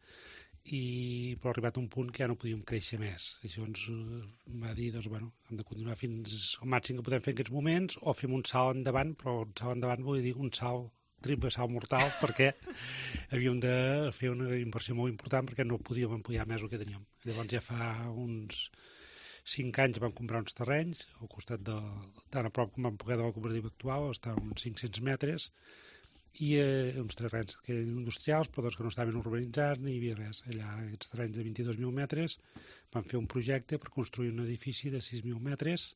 i però ha arribat un punt que ja no podíem créixer més. Això ens va dir, doncs, bueno, hem de continuar fins al màxim que podem fer en aquests moments, o fem un salt endavant, però un salt endavant vol dir un salt, triple salt mortal, perquè havíem de fer una inversió molt important perquè no podíem ampliar més el que teníem. Llavors ja fa uns cinc anys vam comprar uns terrenys, al costat de, tan a prop com vam poder de la cooperativa actual, està a uns cinc-cents metres, i eh, uns terrenys que eren industrials, però doncs, que no estaven urbanitzats, ni hi havia res. Allà, aquests terrenys de vint-i-dos mil metres, van fer un projecte per construir un edifici de sis mil metres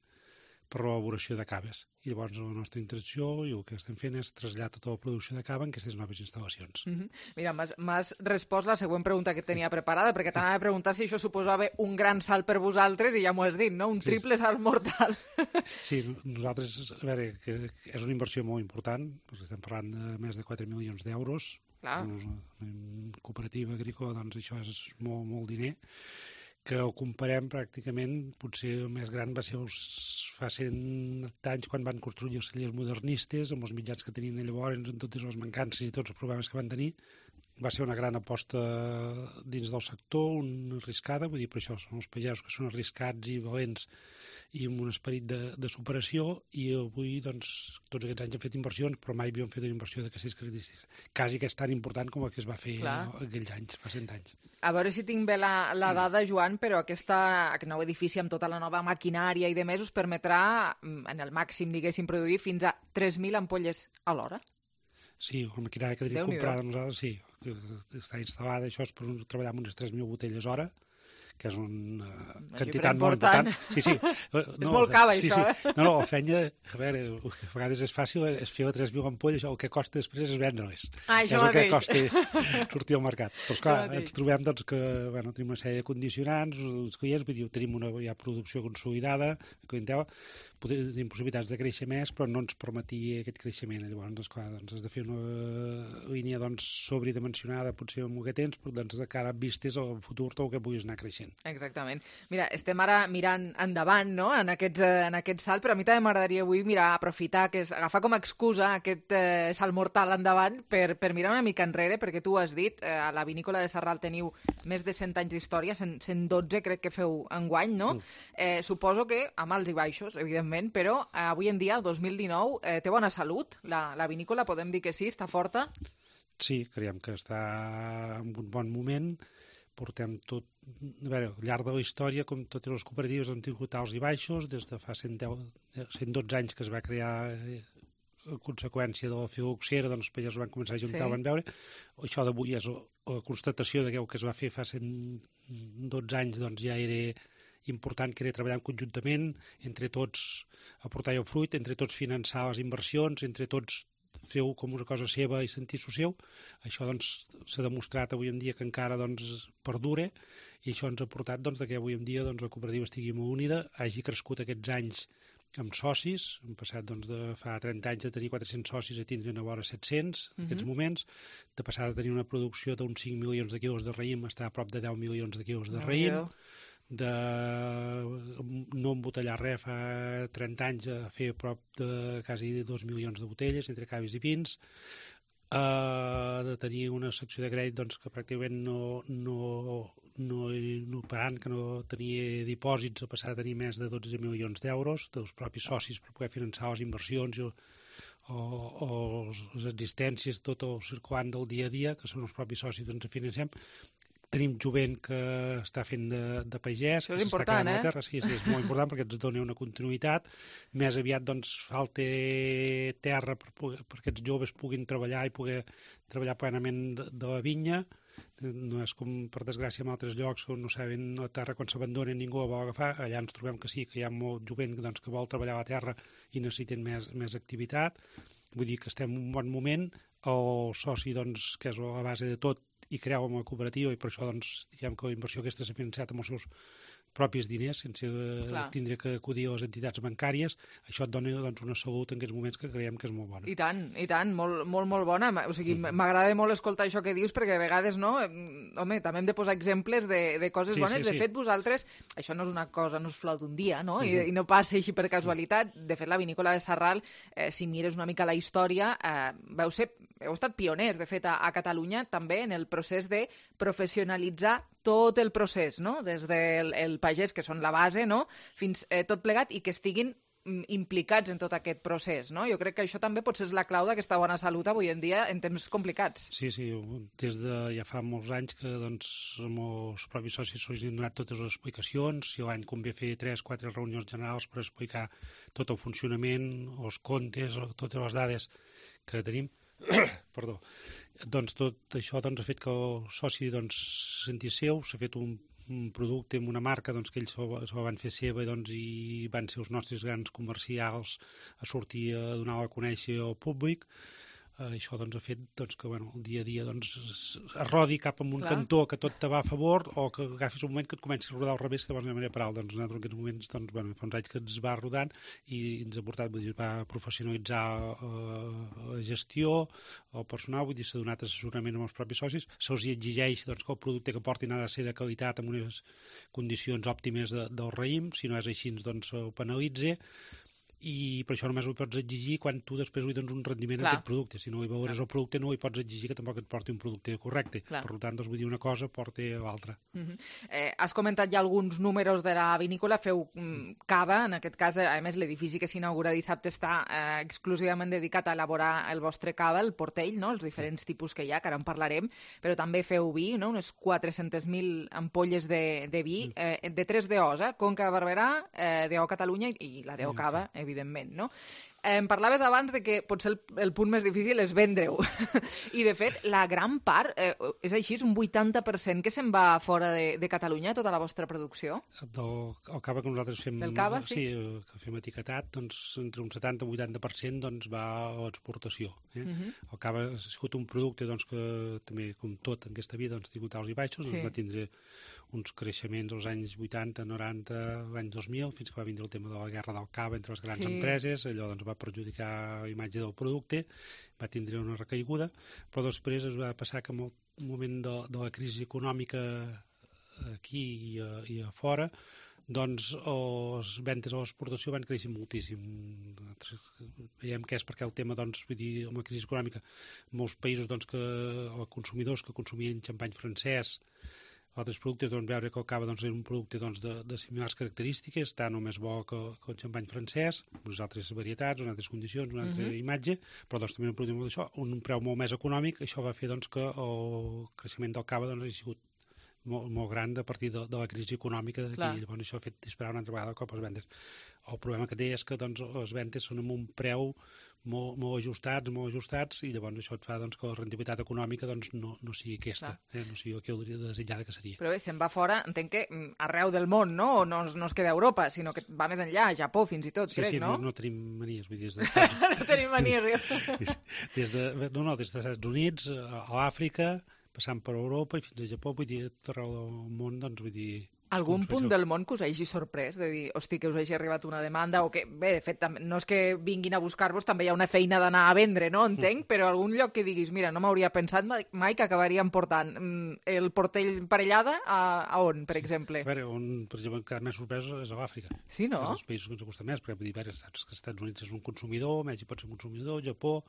per l'elaboració de caves. I llavors la nostra intenció i el que estem fent és traslladar tota la producció de cava en aquestes noves instal·lacions. Mm -hmm. Mira, m'has respost la següent pregunta que tenia preparada, perquè t'anava a preguntar si això suposava un gran salt per vosaltres, i ja m'ho has dit, no? Un sí. triple salt mortal. Sí, nosaltres, a veure, que és una inversió molt important, perquè estem parlant de més de quatre milions d'euros. En cooperativa agrícola, doncs això és molt, molt diner, que ho comparem pràcticament, potser el més gran va ser els, fa cent anys quan van construir els cellers modernistes, amb els mitjans que tenien llavors, amb totes les mancances i tots els problemes que van tenir. Va ser una gran aposta dins del sector, una arriscada, vull dir, per això són els pagesos que són arriscats i valents i amb un esperit de, de superació, i avui, doncs, tots aquests anys hem fet inversions, però mai havíem fet una inversió d'aquestes característiques. Quasi que és tan important com el que es va fer Clar. aquells anys, fa cent anys. A veure si tinc bé la, la dada, Joan, però aquesta, aquest nou edifici amb tota la nova maquinària i de més us permetrà, en el màxim, diguéssim, produir fins a tres mil ampolles a l'hora? Sí, la maquinària que tenim comprada nosaltres, sí, està instal·lada, això és per treballar amb unes tres mil botelles hora, que és una quantitat molt important. Sí, sí. No, és molt cava, sí, això, sí. eh? No, no, la feina, a veure, a vegades és fàcil, és fer a tres mil ampolles, el que costa després és vendre-les. Ah, això és el que costa sortir al mercat. Però, esclar, ens trobem doncs, que bueno, tenim una sèrie de condicionants, els clients, vull dir, tenim una ja producció consolidada, clientela, tenim possibilitats de créixer més, però no ens permetia aquest creixement. Llavors, esclar, doncs, has de fer una línia doncs, sobredimensionada, potser amb el que tens, però doncs, de cara a vistes al futur tot el que puguis anar creixent. Exactament. Mira, estem ara mirant endavant, no?, en aquest, en aquest salt, però a mi també m'agradaria avui mirar, aprofitar, que és, agafar com a excusa aquest eh, salt mortal endavant per, per mirar una mica enrere, perquè tu has dit, eh, a la vinícola de Sarral teniu més de cent anys d'història, cent dotze crec que feu enguany, no? Eh, suposo que amb alts i baixos, evidentment, però eh, avui en dia, el dos mil dinou, eh, té bona salut, la, la vinícola, podem dir que sí, està forta? Sí, creiem que està en un bon moment. Portem tot, a veure, al llarg de la història, com totes les cooperatives han tingut alts i baixos, des de fa cent dotze anys que es va crear a conseqüència de la filoxera, doncs els pagesos van començar a juntar, sí. van veure. Això d'avui és la constatació de que el que es va fer fa cent dotze anys doncs ja era important, que era treballar conjuntament, entre tots aportar el fruit, entre tots finançar les inversions, entre tots feu com una cosa seva i sentir-s'ho seu. Això doncs s'ha demostrat avui en dia que encara doncs perdura, i això ens ha portat doncs, que avui en dia doncs, la cooperativa estigui molt unida, hagi crescut aquests anys amb socis, hem passat doncs, de fa trenta anys de tenir quatre-cents socis a tindre a vora set-cents en uh -huh. aquests moments, de passar de tenir una producció d'uns cinc milions de quilos de raïm a estar a prop de deu milions de quilos de raïm, uh -huh. de no embotellar res fa trenta anys a fer a prop de quasi dos milions de botelles entre caves i vins, uh, de tenir una secció de crèdit doncs, que pràcticament no, no, no, no parant, que no tenia dipòsits, a passar a tenir més de dotze milions d'euros dels propis socis per poder finançar les inversions i, o, o les existències, tot el circulant del dia a dia, que són els propis socis que ens financem. Tenim jovent que està fent de, de pagès, això que és s'està important, quedant a la eh? terra. Sí, sí, és molt important perquè ens dona una continuïtat. Més aviat, doncs, falta terra per, per que aquests joves puguin treballar i poder treballar plenament de, de la vinya. No és com, per desgràcia, en altres llocs on no saben la terra quan s'abandona ningú la vol agafar. Allà ens trobem que sí, que hi ha molt jovent doncs, que vol treballar la terra i necessiten més, més activitat. Vull dir que estem en un bon moment. El soci, doncs, que és la base de tot, i creu en la cooperativa, i per això doncs, diguem que la inversió aquesta s'ha financiat amb els seus propis diners, sense Clar. tindre que acudir a les entitats bancàries. Això et dona doncs, una salut en aquests moments que creiem que és molt bona. I tant, i tant, molt, molt, molt bona. O sigui, m'agrada mm. molt escoltar això que dius, perquè a vegades, no, home, també hem de posar exemples de, de coses sí, bones. Sí, de sí. fet, vosaltres, això no és una cosa, no és flor d'un dia, no? Mm I, -hmm. I no passa així per casualitat. De fet, la vinícola de Sarral, eh, si mires una mica la història, eh, veu ser, heu estat pioners, de fet, a, a Catalunya, també en el procés de professionalitzar tot el procés, no? Des del el pagès, que són la base, no? Fins eh, tot plegat, i que estiguin implicats en tot aquest procés, no? Jo crec que això també potser és la clau d'aquesta bona salut avui en dia en temps complicats. Sí, sí, des de ja fa molts anys que doncs, amb els propis socis se'ls han donat totes les explicacions, si l'any convé fer tres o quatre reunions generals per explicar tot el funcionament, els comptes, totes les dades que tenim. Perdó. Doncs tot això doncs, ha fet que el soci doncs, sentís seu, s'ha fet un, un producte amb una marca doncs, que ells s'ho van fer seva doncs, i van ser els nostres grans comercials a sortir a donar-la a conèixer al públic. Uh, això doncs, ha fet doncs, que bueno, el dia a dia doncs, es rodi cap a un Clar. cantó que tot te va a favor o que agafis un moment que et comenci a rodar al revés que de manera paral. Doncs, nosaltres en aquests moments doncs, bueno, fa uns anys que ens va rodant i ens ha portat, vull dir, va professionalitzar uh, la gestió, el personal, vull dir, s'ha donat assessorament amb els propis socis, se'ls exigeix doncs, que el producte que portin ha de ser de qualitat amb unes condicions òptimes de, del raïm, si no és així doncs ho penalitza. I per això només ho pots exigir quan tu després li dones un rendiment Clar. a aquest producte. Si no hi veuràs el producte, no hi pots exigir que tampoc et porti un producte correcte. Clar. Per tant, doncs, vull dir una cosa porta a l'altra. Uh-huh. eh, has comentat ja alguns números de la vinícola, feu mm, cava, en aquest cas, a més, l'edifici que s'inaugura dissabte està eh, exclusivament dedicat a elaborar el vostre cava, el portell, no? Els diferents tipus que hi ha, que ara en parlarem, però també feu vi, no? Unes quatre-centes mil ampolles de, de vi, eh, de tres D Os, eh? Conca Barberà, eh, D O Catalunya i, i la D O Cava, evidentment. evidentment, no? Em parlaves abans de que potser el, el punt més difícil és vendre-ho. I, de fet, la gran part, eh, és així, és un vuitanta per cent que se'n va fora de, de Catalunya, tota la vostra producció? Del, el cava que nosaltres fem... Del cava, sí? Sí, que fem etiquetat, doncs, entre un setanta i vuitanta per cent doncs, va a l'exportació. Eh? Uh-huh. El cava ha sigut un producte doncs, que també, com tot en aquesta vida, doncs, ha tingut alts i baixos, sí. Doncs, va tindre uns creixements als anys vuitanta, noranta, l'any dos mil, fins que va vindre el tema de la guerra del cava entre les grans sí. empreses, allò doncs, va perjudicar la imatge del producte, va tindre una recaiguda, però després es va passar que en el moment de, de la crisi econòmica aquí i a, i a fora, doncs les ventes a l'exportació van créixer moltíssim. Veiem que és perquè el tema, doncs, vull dir, amb la crisi econòmica, molts països doncs, que, o consumidors que consumien xampany francès, altres productes, doncs, veure que el cava doncs, era un producte doncs, de, de similars característiques, tant o més bo que, que el xampany francès, unes altres varietats, unes altres condicions, una altra uh-huh. imatge, però doncs, també un producte molt d'això, un preu molt més econòmic, això va fer doncs, que el creixement del cava doncs, ha sigut molt, molt gran a partir de, de la crisi econòmica d'aquí. Llavors això ha fet disparar una altra vegada el cop les vendes. El problema que té és que doncs, les vendes són amb un preu molt, molt ajustats, molt ajustats, i llavors això et fa doncs, que la rendibilitat econòmica doncs, no, no sigui aquesta, eh? No sigui el que hauria desitjada que seria. Però bé, se'n va fora, entenc que arreu del món, no? O no, no es queda a Europa, sinó que va més enllà, a Japó fins i tot, sí, crec, sí, no? Sí, no, no tenim manies, vull dir, des de... no tenim manies, des de, no, no, des dels Estats Units, a l'Àfrica, passant per Europa i fins a Japó, vull dir, tot arreu del món, doncs, vull dir... Algun punt del món que us hagi sorprès, de dir, hosti, que us hagi arribat una demanda, o que, bé, de fet, no és que vinguin a buscar-vos, també hi ha una feina d'anar a vendre, no? Entenc, però algun lloc que diguis, mira, no m'hauria pensat mai que acabaríem portant el portell parellada a, a on, per sí. exemple? A veure, on, per exemple, que més sorprès és a l'Àfrica. Sí, no? És dels països que ens costa més, perquè, vull dir, veure, saps que els Estats Units és un consumidor, Mèxic pot ser un consumidor, Japó,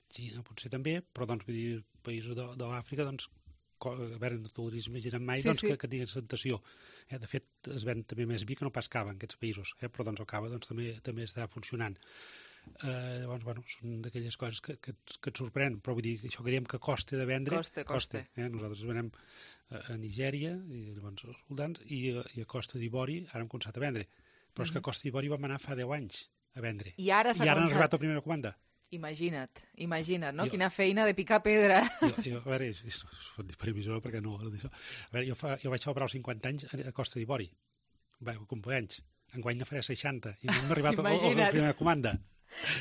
Xina potser també, però, doncs, vull dir, països de, de l'Àfrica, doncs, a veure, no t'ho hauries imaginat mai sí, doncs, sí. que, que tinguin tentació. Eh, de fet, es ven també més vi que no pas cava en aquests països, eh, però doncs el cava doncs, també, també està funcionant. Eh, llavors, bueno, són d'aquelles coses que, que, que et sorprèn, però vull dir, això que diem que costa de vendre, costa. costa. Eh? Nosaltres venem a, a Nigèria, i llavors els soldans, i, i a Costa d'Ivori ara hem començat a vendre. Però mm-hmm. és que a Costa d'Ivori vam anar fa deu anys a vendre. I ara s'ha I ara han arribat a primera comanda. Imagina't, imagina't, no? Jo, Quina feina de picar pedra. Jo, jo, a veure, és, és, és previsor perquè no... A veure, jo, fa, jo vaig celebrar els cinquanta anys a Costa d'Ivori. Va, complir anys. Enguany ne faré seixanta. I no hem arribat a, a, a la primera comanda.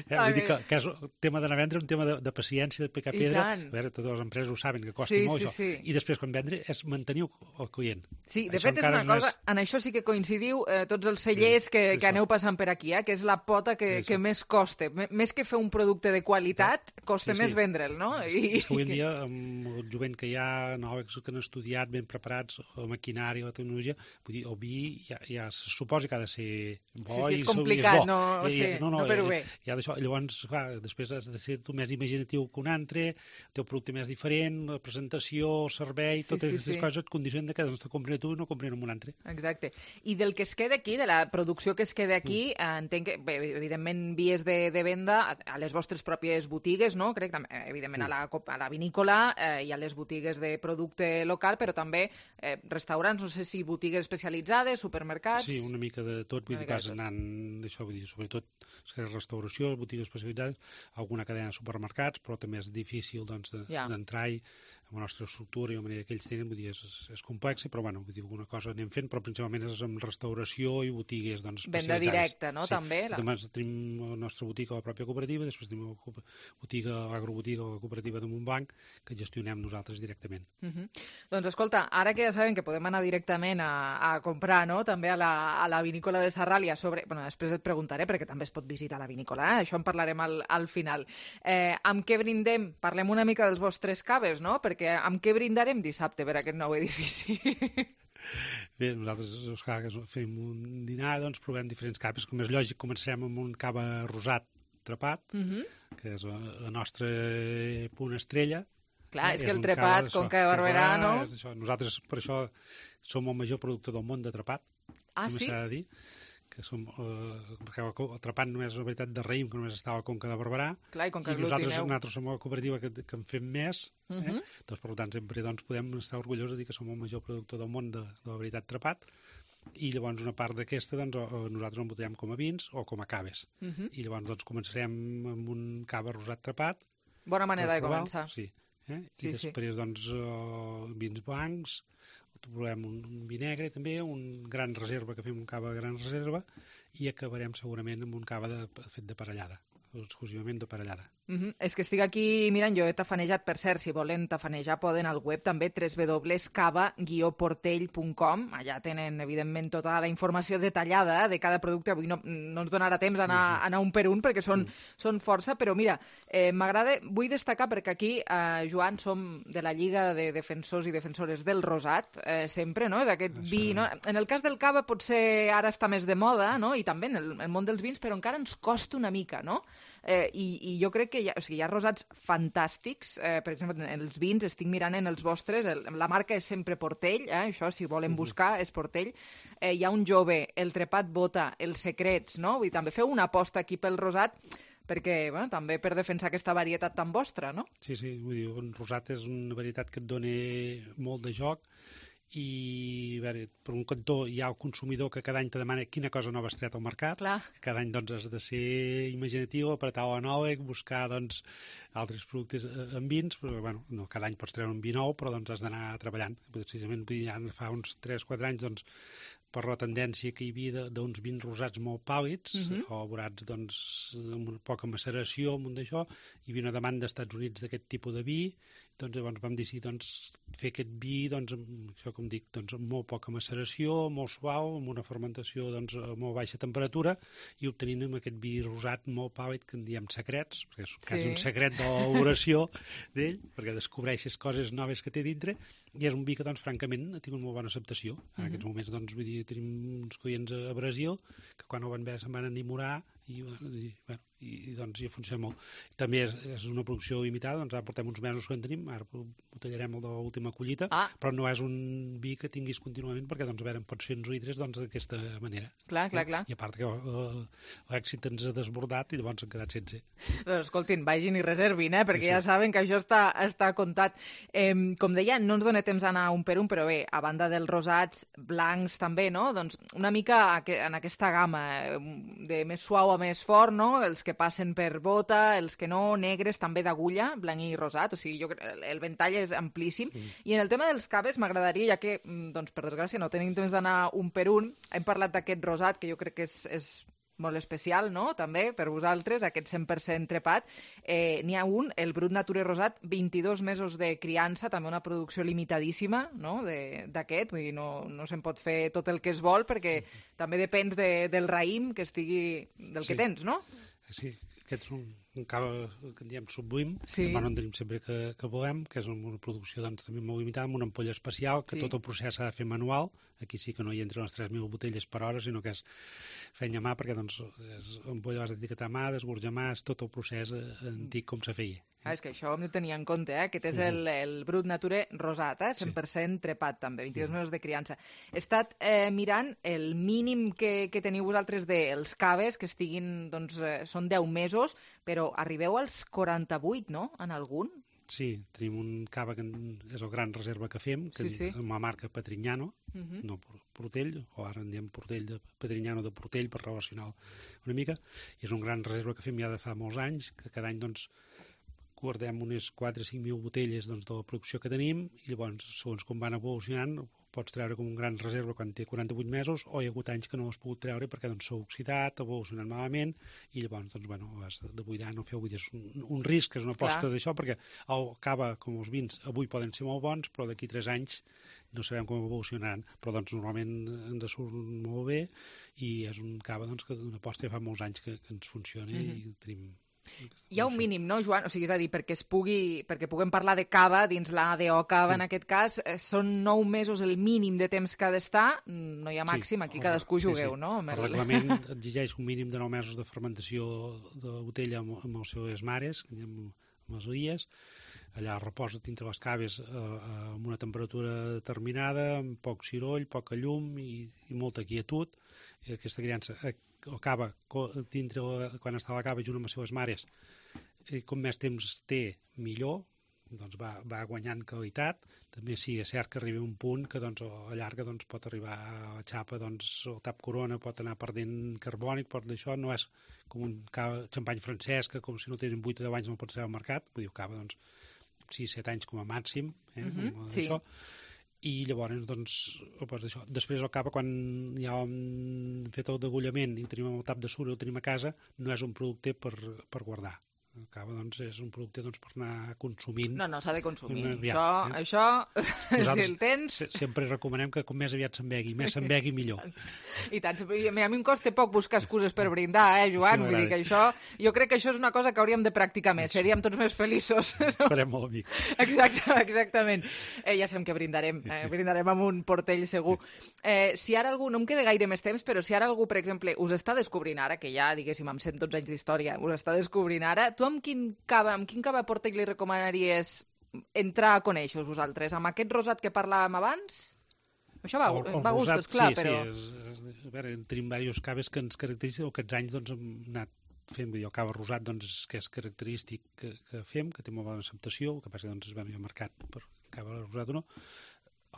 Eh, vull dir que, que és el tema d'anar a vendre un tema de, de paciència, de picar pedra. A veure, totes les empreses ho saben, que costa sí, molt sí, això. Sí. I després, quan vendre, és mantenir el client. Sí, de això fet, és una cosa... És... En això sí que coincidiu eh, tots els cellers sí, que, que aneu passant per aquí, eh, que és la pota que, que més costa. M més que fer un producte de qualitat, costa sí, sí. més vendre'l, no? I... És que avui en dia, amb el jovent que hi ha, noves que han estudiat, ben preparats, la maquinària, la tecnologia, vull dir, el vi ja, ja se suposa que ha de ser bo. Sí, sí, és i complicat, és no, o sigui, no, no, no fer-ho bé. Ja d'això, llavors, clar, després has de ser tu més imaginatiu que un altre, el teu producte més diferent, la presentació, el servei, sí, totes sí, aquestes sí. coses et condicionen que doncs, te comprin a tu i no comprin a un altre. Exacte. I del que es queda aquí, de la producció que es queda aquí, mm. entenc que, bé, evidentment, vies de, de venda a les vostres pròpies botigues, no? Crec, també, evidentment, mm. a, la, a la vinícola eh, i a les botigues de producte local, però també eh, restaurants, no sé si botigues especialitzades, supermercats... Sí, una mica de tot, vull dir, vas anant, això, vull dir, sobretot, és que la restauració distribució, botigues especialitzades, alguna cadena de supermercats, però també és difícil doncs, d'entrar-hi amb la nostra estructura i la manera que ells tenen, vull dir, és, és complex, però bueno, vull dir, alguna cosa anem fent, però principalment és amb restauració i botigues doncs, especialitzades. Venda directa, no? Sí. També. La... També tenim la nostra botiga a la pròpia cooperativa, després tenim la botiga, l'agrobotiga o la cooperativa de Montblanc, que gestionem nosaltres directament. Uh -huh. Doncs escolta, ara que ja sabem que podem anar directament a, a comprar, no?, també a la, a la vinícola de Sarràlia, sobre... Bueno, després et preguntaré, perquè també es pot visitar la vinícola, eh? Això en parlarem al, al final. Eh, amb què brindem? Parlem una mica dels vostres caves, no?, perquè amb què brindarem dissabte per aquest nou edifici? Bé, nosaltres, clar, que fem un dinar, doncs provem diferents caves. Com és lògic, comencem amb un cava rosat trepat, uh -huh. que és la nostra punt estrella. Clar, és, és que el trepat, cava, Conca de Barberà, no? Això. Nosaltres, per això, som el major productor del món de trepat. Ah, sí? S'ha de dir. Que som, eh, perquè el trepat només és una varietat de raïm, que només està a la Conca de Barberà. Clar, i com que i nosaltres, nosaltres som la cooperativa que, que en fem més, eh? Uh -huh. doncs, per tant, sempre doncs, podem estar orgullosos de dir que som el major productor del món de, de la varietat trepat, i llavors una part d'aquesta doncs, nosaltres embotellem com a vins o com a caves. Uh -huh. I llavors doncs, començarem amb un cava rosat trepat. Bona manera de començar. Sí. Eh? I sí, després, sí. doncs, uh, vins blancs, provem un, un vi negre també, un gran reserva, que fem un cava de gran reserva, i acabarem segurament amb un cava de, fet de parellada, exclusivament de parellada. Uh -huh. És que estic aquí mirant, jo he tafanejat, per cert, si volen tafanejar poden al web també w w w punt cava guió portell punt com, allà tenen evidentment tota la informació detallada de cada producte. Avui no, no ens donarà temps d'anar, anar un per un perquè són, uh -huh. són força, però mira, eh, m'agrada, vull destacar perquè aquí, eh, Joan, som de la Lliga de Defensors i Defensores del Rosat, eh, sempre, no?, d'aquest Això... vi, no? En el cas del cava potser ara està més de moda, no?, i també en el, el món dels vins, però encara ens costa una mica, no?, eh, i, i jo crec que hi ha, o sigui, hi ha rosats fantàstics, eh, per exemple, en els vins, estic mirant en els vostres, el, la marca és sempre Portell, eh, això, si volen buscar, és Portell. Eh, hi ha un jove, el trepat bota, els secrets, no? Vull dir, també feu una aposta aquí pel rosat, perquè, bueno, també per defensar aquesta varietat tan vostra, no? Sí, sí, vull dir, un rosat és una varietat que et dona molt de joc, i a veure, per un cantó hi ha el consumidor que cada any te demana quina cosa nova has tret al mercat. Clar. Cada any doncs has de ser imaginatiu, apretar la nova, buscar doncs altres productes en vins, però bueno, no cada any pots treure un vi nou, però doncs has d'anar treballant. Precisament ja fa uns tres quatre anys doncs per la tendència que hi havia d'uns vins rosats molt pàl·lids, uh -huh. o elaborats doncs, amb una poca maceració, amb un d'això, hi havia una demanda als Estats Units d'aquest tipus de vi, doncs llavors vam decidir doncs, fer aquest vi, doncs, amb, això com dic, doncs, amb molt poca maceració, molt suau, amb una fermentació doncs, a molt baixa temperatura, i obtenint amb aquest vi rosat molt pàl·lid, que en diem secrets, perquè és quasi sí. un secret de l'elaboració d'ell, perquè descobreixes coses noves que té dintre, i és un vi que, doncs, francament, ha tingut molt bona acceptació. En uh -huh. aquests moments, doncs, vull dir, tenim uns clients a Brasil que quan ho van veure se'n van enamorar i, i, bueno, i, i doncs ja funciona molt. També és, és una producció limitada, doncs ara portem uns mesos que en tenim, ara botellarem el de l'última collita, ah. però no és un vi que tinguis contínuament perquè doncs, a veure, en pots fer uns litres doncs, d'aquesta manera. Clar, clar, clar. I a part que uh, l'èxit ens ha desbordat i llavors hem quedat sense. Doncs escoltin, vagin i reservin, eh? perquè sí, sí. ja saben que això està, està comptat. Eh, com deia, no ens dona temps d'anar un per un, però bé, a banda dels rosats, blancs també, no? Doncs una mica en aquesta gamma de més suau a més fort, no? Els que passen per bota, els que no, negres, també d'agulla, blanc i rosat, o sigui, jo, el ventall és amplíssim. Mm. I en el tema dels caves m'agradaria, ja que, doncs, per desgràcia, no tenim temps d'anar un per un, hem parlat d'aquest rosat, que jo crec que és, és molt especial, no?, també, per vosaltres, aquest cent per cent trepat. Eh, N'hi ha un, el Brut Nature Rosat, vint-i-dos mesos de criança, també una producció limitadíssima, no?, d'aquest, vull dir, no, no se'n pot fer tot el que es vol, perquè mm. també depèn de, del raïm que estigui, del sí. que tens, no? Sí, aquest és un, un cava que en diem sublim, sí. que no en tenim sempre que, que volem, que és una producció doncs, també molt limitada, amb una ampolla especial, que sí. tot el procés s'ha de fer manual. Aquí sí que no hi entren les tres mil botelles per hora, sinó que és feina a mà, perquè doncs, és ampolla vas etiquetar a mà, desgorjar a mà, és tot el procés antic com se feia. Ah, és que això hem de tenir en compte, eh? Aquest és el, el Brut Nature Rosat, eh? cent per cent sí. trepat també, vint-i-dos mesos de criança. He estat eh, mirant el mínim que, que teniu vosaltres dels caves, que estiguin, doncs, eh, són deu mesos, però arribeu als quaranta-vuit, no?, en algun? Sí, tenim un cava que és el gran reserva que fem, que sí, sí. amb la marca Patrignano, uh -huh. no Portell, o ara en diem Portell de Patrignano de Portell per relacionar una mica, i és un gran reserva que fem ja de fa molts anys, que cada any doncs guardem unes quatre o cinc mil botelles doncs, de la producció que tenim, i llavors, segons com van evolucionant, pots treure com un gran reserva quan té quaranta-vuit mesos, o hi ha hagut anys que no l'has pogut treure perquè doncs, s'ha oxidat, ha evolucionat malament, i llavors doncs, bueno, has de buidar, no feu buidar. És un, un risc, és una aposta d'això, perquè el cava, com els vins, avui poden ser molt bons, però d'aquí tres anys no sabem com evolucionaran, però doncs, normalment ens surt molt bé, i és un cava doncs, que una aposta ja fa molts anys que, que ens funciona, mm-hmm. i tenim... Hi ha un mínim, no, Joan? O sigui, és a dir, perquè es pugui, perquè puguem parlar de cava dins l'A D O cava, en aquest cas, són nou mesos el mínim de temps que ha d'estar, no hi ha màxim, aquí cadascú jugueu, no? El reglament exigeix un mínim de nou mesos de fermentació de la botella amb, amb els seus mares, amb, amb les illes, allà reposa dintre les caves eh, amb una temperatura determinada, amb poc ciroll, poca llum i, i molta quietud. I aquesta criança eh, el cava, dintre, quan està a la cava junt amb les seves mares, i com més temps té, millor, doncs va, va guanyant qualitat. També sí, és cert que arriba un punt que doncs, a llarga doncs, pot arribar a la xapa, doncs, el tap corona pot anar perdent carbònic, pot d'això no és com un cava, xampany francès, que com si no tenen vuit o deu anys no pot ser al mercat, vull dir, cava, doncs, sis set anys com a màxim, eh, uh-huh, com sí. Això. I llavors, doncs, doncs això. Després el cava, quan ja hem fet el degollament i tenim el tap de suro, el tenim a casa, no és un producte per, per guardar. El cava, doncs, és un producte doncs, per anar consumint. No, no, s'ha de consumir. Aviat, això, eh? això si el tens... Sempre recomanem que com més aviat s'embegui, més s'embegui millor. I tant. A mi em costa poc buscar excuses per brindar, eh, Joan? Sí, vull dir que això... Jo crec que això és una cosa que hauríem de practicar més. Sí. Seríem tots més feliços. No? Farem molt amics. Exacte, exactament. Eh, ja sabem que brindarem. Eh, brindarem amb un portell segur. Eh, si ara algú... No em queda gaire més temps, però si ara algú, per exemple, us està descobrint ara, que ja, diguéssim, amb cent dotze anys d'història, us està descobrint ara, tu amb quin cava, amb quin cava portell li recomanaries entrar a conèixer vosaltres? Amb aquest rosat que parlàvem abans? Això va, el, el va a gustos, rosat, clar, sí, però... Sí, és, és, a veure, tenim diversos caves que ens caracteritzen, aquests anys doncs, hem anat fent, vull dir, el cava rosat doncs, que és característic que, que fem, que té molt bona acceptació, el que passa que doncs, es va al mercat per cava rosat o no.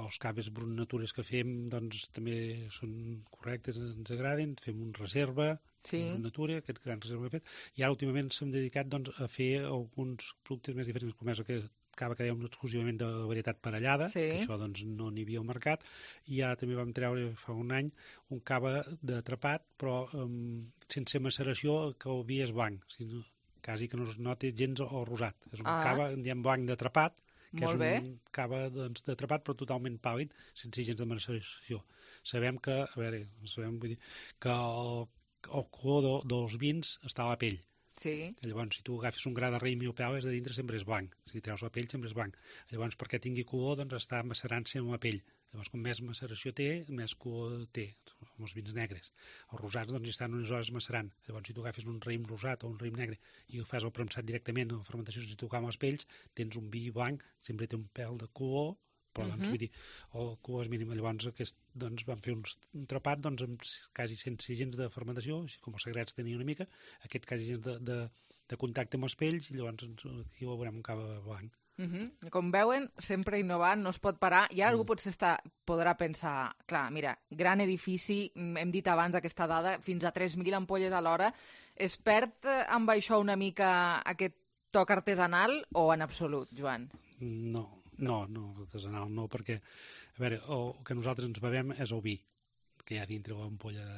Els caves brut natures que fem doncs, també són correctes, ens agraden, fem un reserva, sí. Brut natura, aquest gran reserva que hem fet, i ara últimament s'hem dedicat doncs, a fer alguns productes més diferents, com és el cava que dèiem exclusivament de varietat parellada, sí. Que això doncs, no n'hi havia al mercat, i ara també vam treure fa un any un cava d'atrapat, però um, sense maceració, que el vi és blanc, si no, quasi que no es noti gens el rosat. És un ah. cava, en diem blanc d'atrapat, que Molt és bé. un cava doncs, d'atrapat però totalment pàl·lid, sense gens de maceració. Sabem que, a veure, sabem, vull dir, que el, el color de, dels vins està a la pell. Sí. Llavors, si tu agafes un gra de raïm i el peles, de dintre sempre és blanc. Si treus la pell, sempre és blanc. Llavors, perquè tingui color, doncs està macerant-se en la pell. Llavors, com més maceració té, més color té, amb els vins negres. Els rosats, doncs, hi estan unes hores macerant. Llavors, si tu agafes un raïm rosat o un raïm negre i ho fas al premsat directament, a la fermentació, si tu amb les pells, tens un vi blanc, sempre té un pèl de color, però, doncs, uh-huh. vull dir, el color és mínim. Llavors, aquest, doncs, vam fer uns, un trapat, doncs, amb quasi sense gens de fermentació, així com els secrets tenia una mica, aquest quasi gens de, de, de contacte amb els pells, i llavors aquí ho veurem un cava blanc. Uh-huh. Com veuen, sempre innovant, no es pot parar. I ara algú potser està, podrà pensar, clar, mira, gran edifici, hem dit abans aquesta dada, fins a tres mil ampolles a l'hora. Es perd amb això una mica aquest toc artesanal o en absolut, Joan? No, no, no, artesanal no, perquè, a veure, el que nosaltres ens bevem és el vi, que hi ha dintre l'ampolla,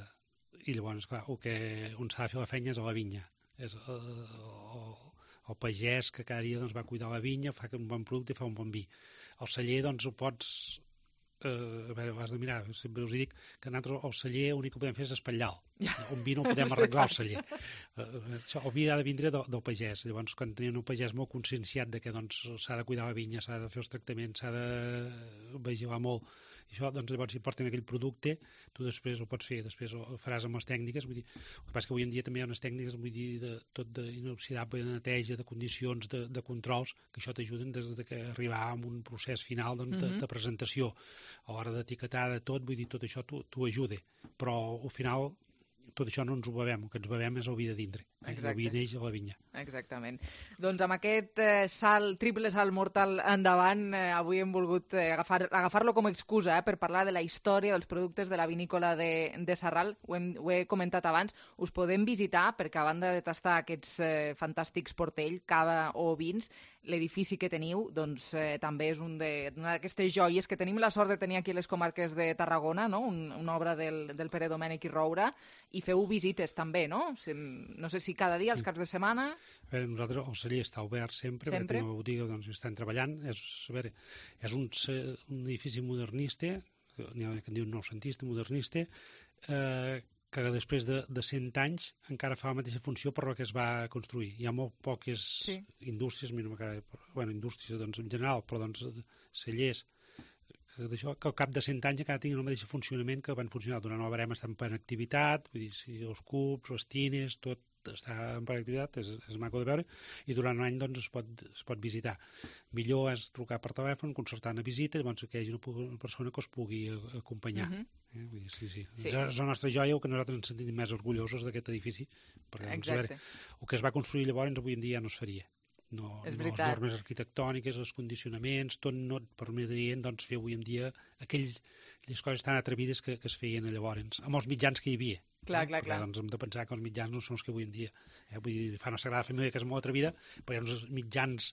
i llavors, clar, el que on s'ha de fer la feina és a la vinya, és el, el, el pagès que cada dia doncs, va cuidar la vinya, fa un bon producte i fa un bon vi. El celler, doncs, ho pots... Eh, a veure, has de mirar, sempre us dic que nosaltres el celler l'únic que podem fer és espatllar-lo. Un vi no el podem arreglar al celler. Uh, això, el vi ha de vindre del, del pagès. Llavors, quan tenim un pagès molt conscienciat de que doncs, s'ha de cuidar la vinya, s'ha de fer els tractaments, s'ha de vigilar molt, i això, doncs, llavors, si porten aquell producte, tu després ho pots fer, després ho faràs amb les tècniques. Vull dir, el que passa que avui en dia també hi ha unes tècniques, vull dir, de, tot d'inoxidable, de neteja, de condicions, de, de controls, que això t'ajuden des de que arribar a un procés final doncs, de, de presentació. A l'hora d'etiquetar de tot, vull dir, tot això t'ho ajuda. Però, al final, tot això no ens ho bevem, el que ens bevem és el vi de dintre. El vi neix a la vinya. Exactament. Doncs amb aquest eh, salt, triple salt mortal endavant, eh, avui hem volgut eh, agafar, agafar-lo com a excusa eh, per parlar de la història dels productes de la vinícola de, de Sarral. Ho, hem, ho he comentat abans. Us podem visitar perquè, a banda de tastar aquests eh, fantàstics portell, cava o vins, l'edifici que teniu doncs, eh, també és un de, una d'aquestes joies que tenim la sort de tenir aquí a les comarques de Tarragona, no? un, una obra del, del Pere Domènech i Roura, i feu visites també, no? No sé si cada dia, els caps de setmana... A veure, nosaltres, el celler està obert sempre, sempre? perquè tenim una botiga doncs, estan treballant. És, a veure, és un, un edifici modernista, n'hi ha que en diu noucentista, modernista, eh, que després de, de cent anys encara fa la mateixa funció per la que es va construir. Hi ha molt poques sí. indústries, a mi no m'agrada, bueno, indústries doncs, en general, però doncs, cellers, que, d'això, que al cap de cent anys encara tinguin el mateix funcionament que van funcionar durant el barem, estan en activitat, vull dir, si els cubs, les tines, tot està en activitat, és, és maco de veure, i durant un any doncs, es, pot, es pot visitar. Millor és trucar per telèfon, concertar una visita, i llavors que hi hagi una, una persona que us pugui acompanyar. Uh-huh. eh? Vull dir, sí, sí. sí. És la nostra joia, o que nosaltres ens sentim més orgullosos d'aquest edifici, perquè doncs, a veure, el que es va construir llavors avui en dia ja no es faria. No, no les normes arquitectòniques, els condicionaments, tot no et permetrien doncs, fer avui en dia aquells, aquelles coses tan atrevides que, que es feien llavors, amb els mitjans que hi havia. Clar, clar, perquè, clar. Doncs hem de pensar que els mitjans no són els que avui en dia. Eh? Vull dir, fa una Sagrada Família que és molt atrevida, però hi ha uns mitjans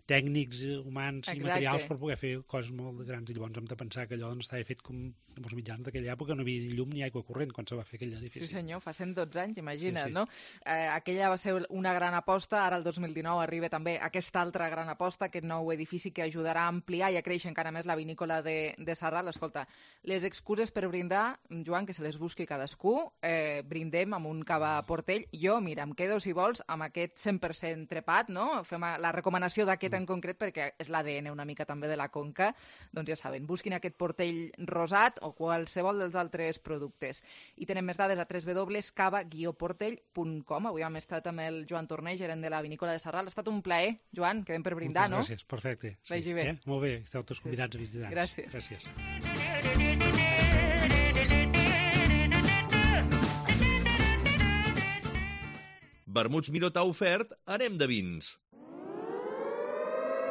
tècnics, humans Exacte. i materials per poder fer coses molt grans, i llavors hem de pensar que allò doncs, estava fet com amb els mitjans d'aquella època, no hi havia ni llum ni aigua corrent quan se va fer aquell edifici. Sí senyor, fa cent dotze anys, imagina't, sí, sí. no? Eh, aquella va ser una gran aposta, ara el dos mil dinou arriba també aquesta altra gran aposta, aquest nou edifici que ajudarà a ampliar i a créixer encara més la vinícola de, de Sarral. Escolta, les excuses per brindar, Joan, que se les busqui cadascú, eh, brindem amb un cava portell. Jo, mira, em quedo, si vols, amb aquest cent per cent trepat, no? Fem la recomanació d'aquest en concret perquè és l'A D N una mica també de la Conca. Doncs ja saben, busquin aquest portell rosat o qualsevol dels altres productes. I tenen més dades a w w w punt cava guió portell punt com. Avui hem estat amb el Joan Torner, gerent de la vinícola de Sarral. Ha estat un plaer, Joan, quedem per brindar, Moltes no? gràcies, perfecte. Sí. Vagi bé. Eh? Molt bé, esteu tots convidats a visitar. Gràcies. Gràcies. Vermuts Minotaur ofert, anem de vins.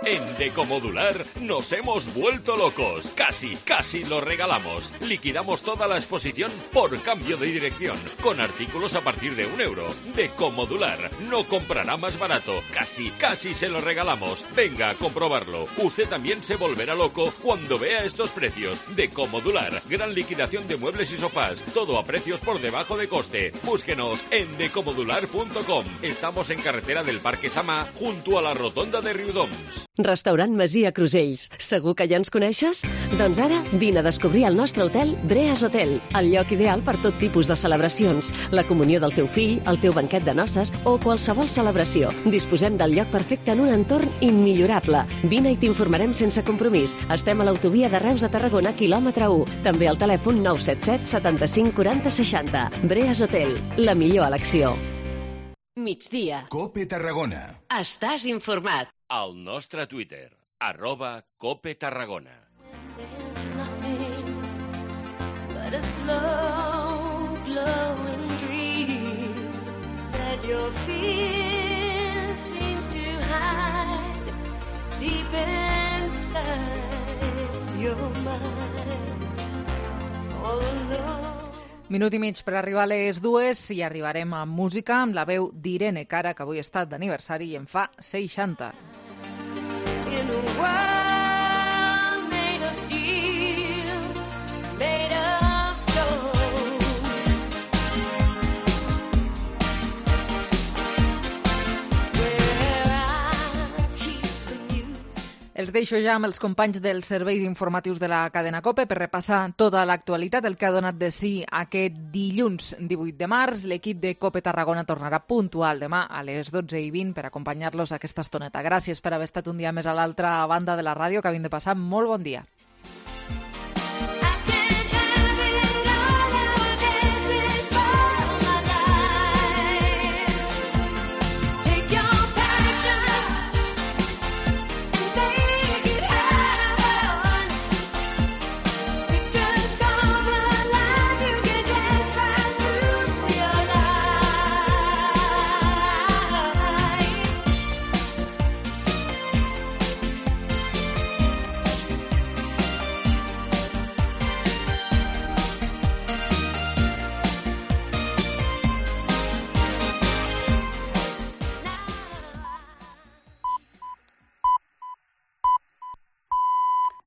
En Decomodular nos hemos vuelto locos. Casi, casi lo regalamos. Liquidamos toda la exposición por cambio de dirección, con artículos a partir de un euro. Decomodular no comprará más barato. Casi, casi se lo regalamos. Venga a comprobarlo. Usted también se volverá loco cuando vea estos precios. Decomodular, gran liquidación de muebles y sofás. Todo a precios por debajo de coste. Búsquenos en decomodular punto com. Estamos en carretera del Parque Samà, junto a la rotonda de Riudoms. Restaurant Masia Crusells. Segur que ja ens coneixes? Doncs ara vine a descobrir el nostre hotel Breas Hotel, el lloc ideal per tot tipus de celebracions, la comunió del teu fill, el teu banquet de noces o qualsevol celebració. Disposem del lloc perfecte en un entorn immillorable. Vine i t'informarem sense compromís. Estem a l'autovia de Reus a Tarragona, quilòmetre u. També al telèfon nou set set setanta-cinc quaranta seixanta. Breas Hotel, la millor elecció. Migdia. Cope Tarragona. Estàs informat. Al nostre Twitter, arroba Cope Tarragona. But a slow glowing dream that your fear seems to hide deep inside your mind all alone. Minut i mig per arribar a les dues i arribarem a música amb la veu d'Irene Cara, que avui ha estat d'aniversari i en fa seixanta. In a world made of steel, made of stone. Where I keep the music. Els deixo ja amb els companys dels serveis informatius de la cadena COPE per repassar tota l'actualitat, el que ha donat de si aquest dilluns divuit de març. L'equip de COPE Tarragona tornarà puntual demà a les dotze i vint per acompanyar-los aquesta estoneta. Gràcies per haver estat un dia més a l'altra banda de la ràdio. Que havin de passar molt bon dia.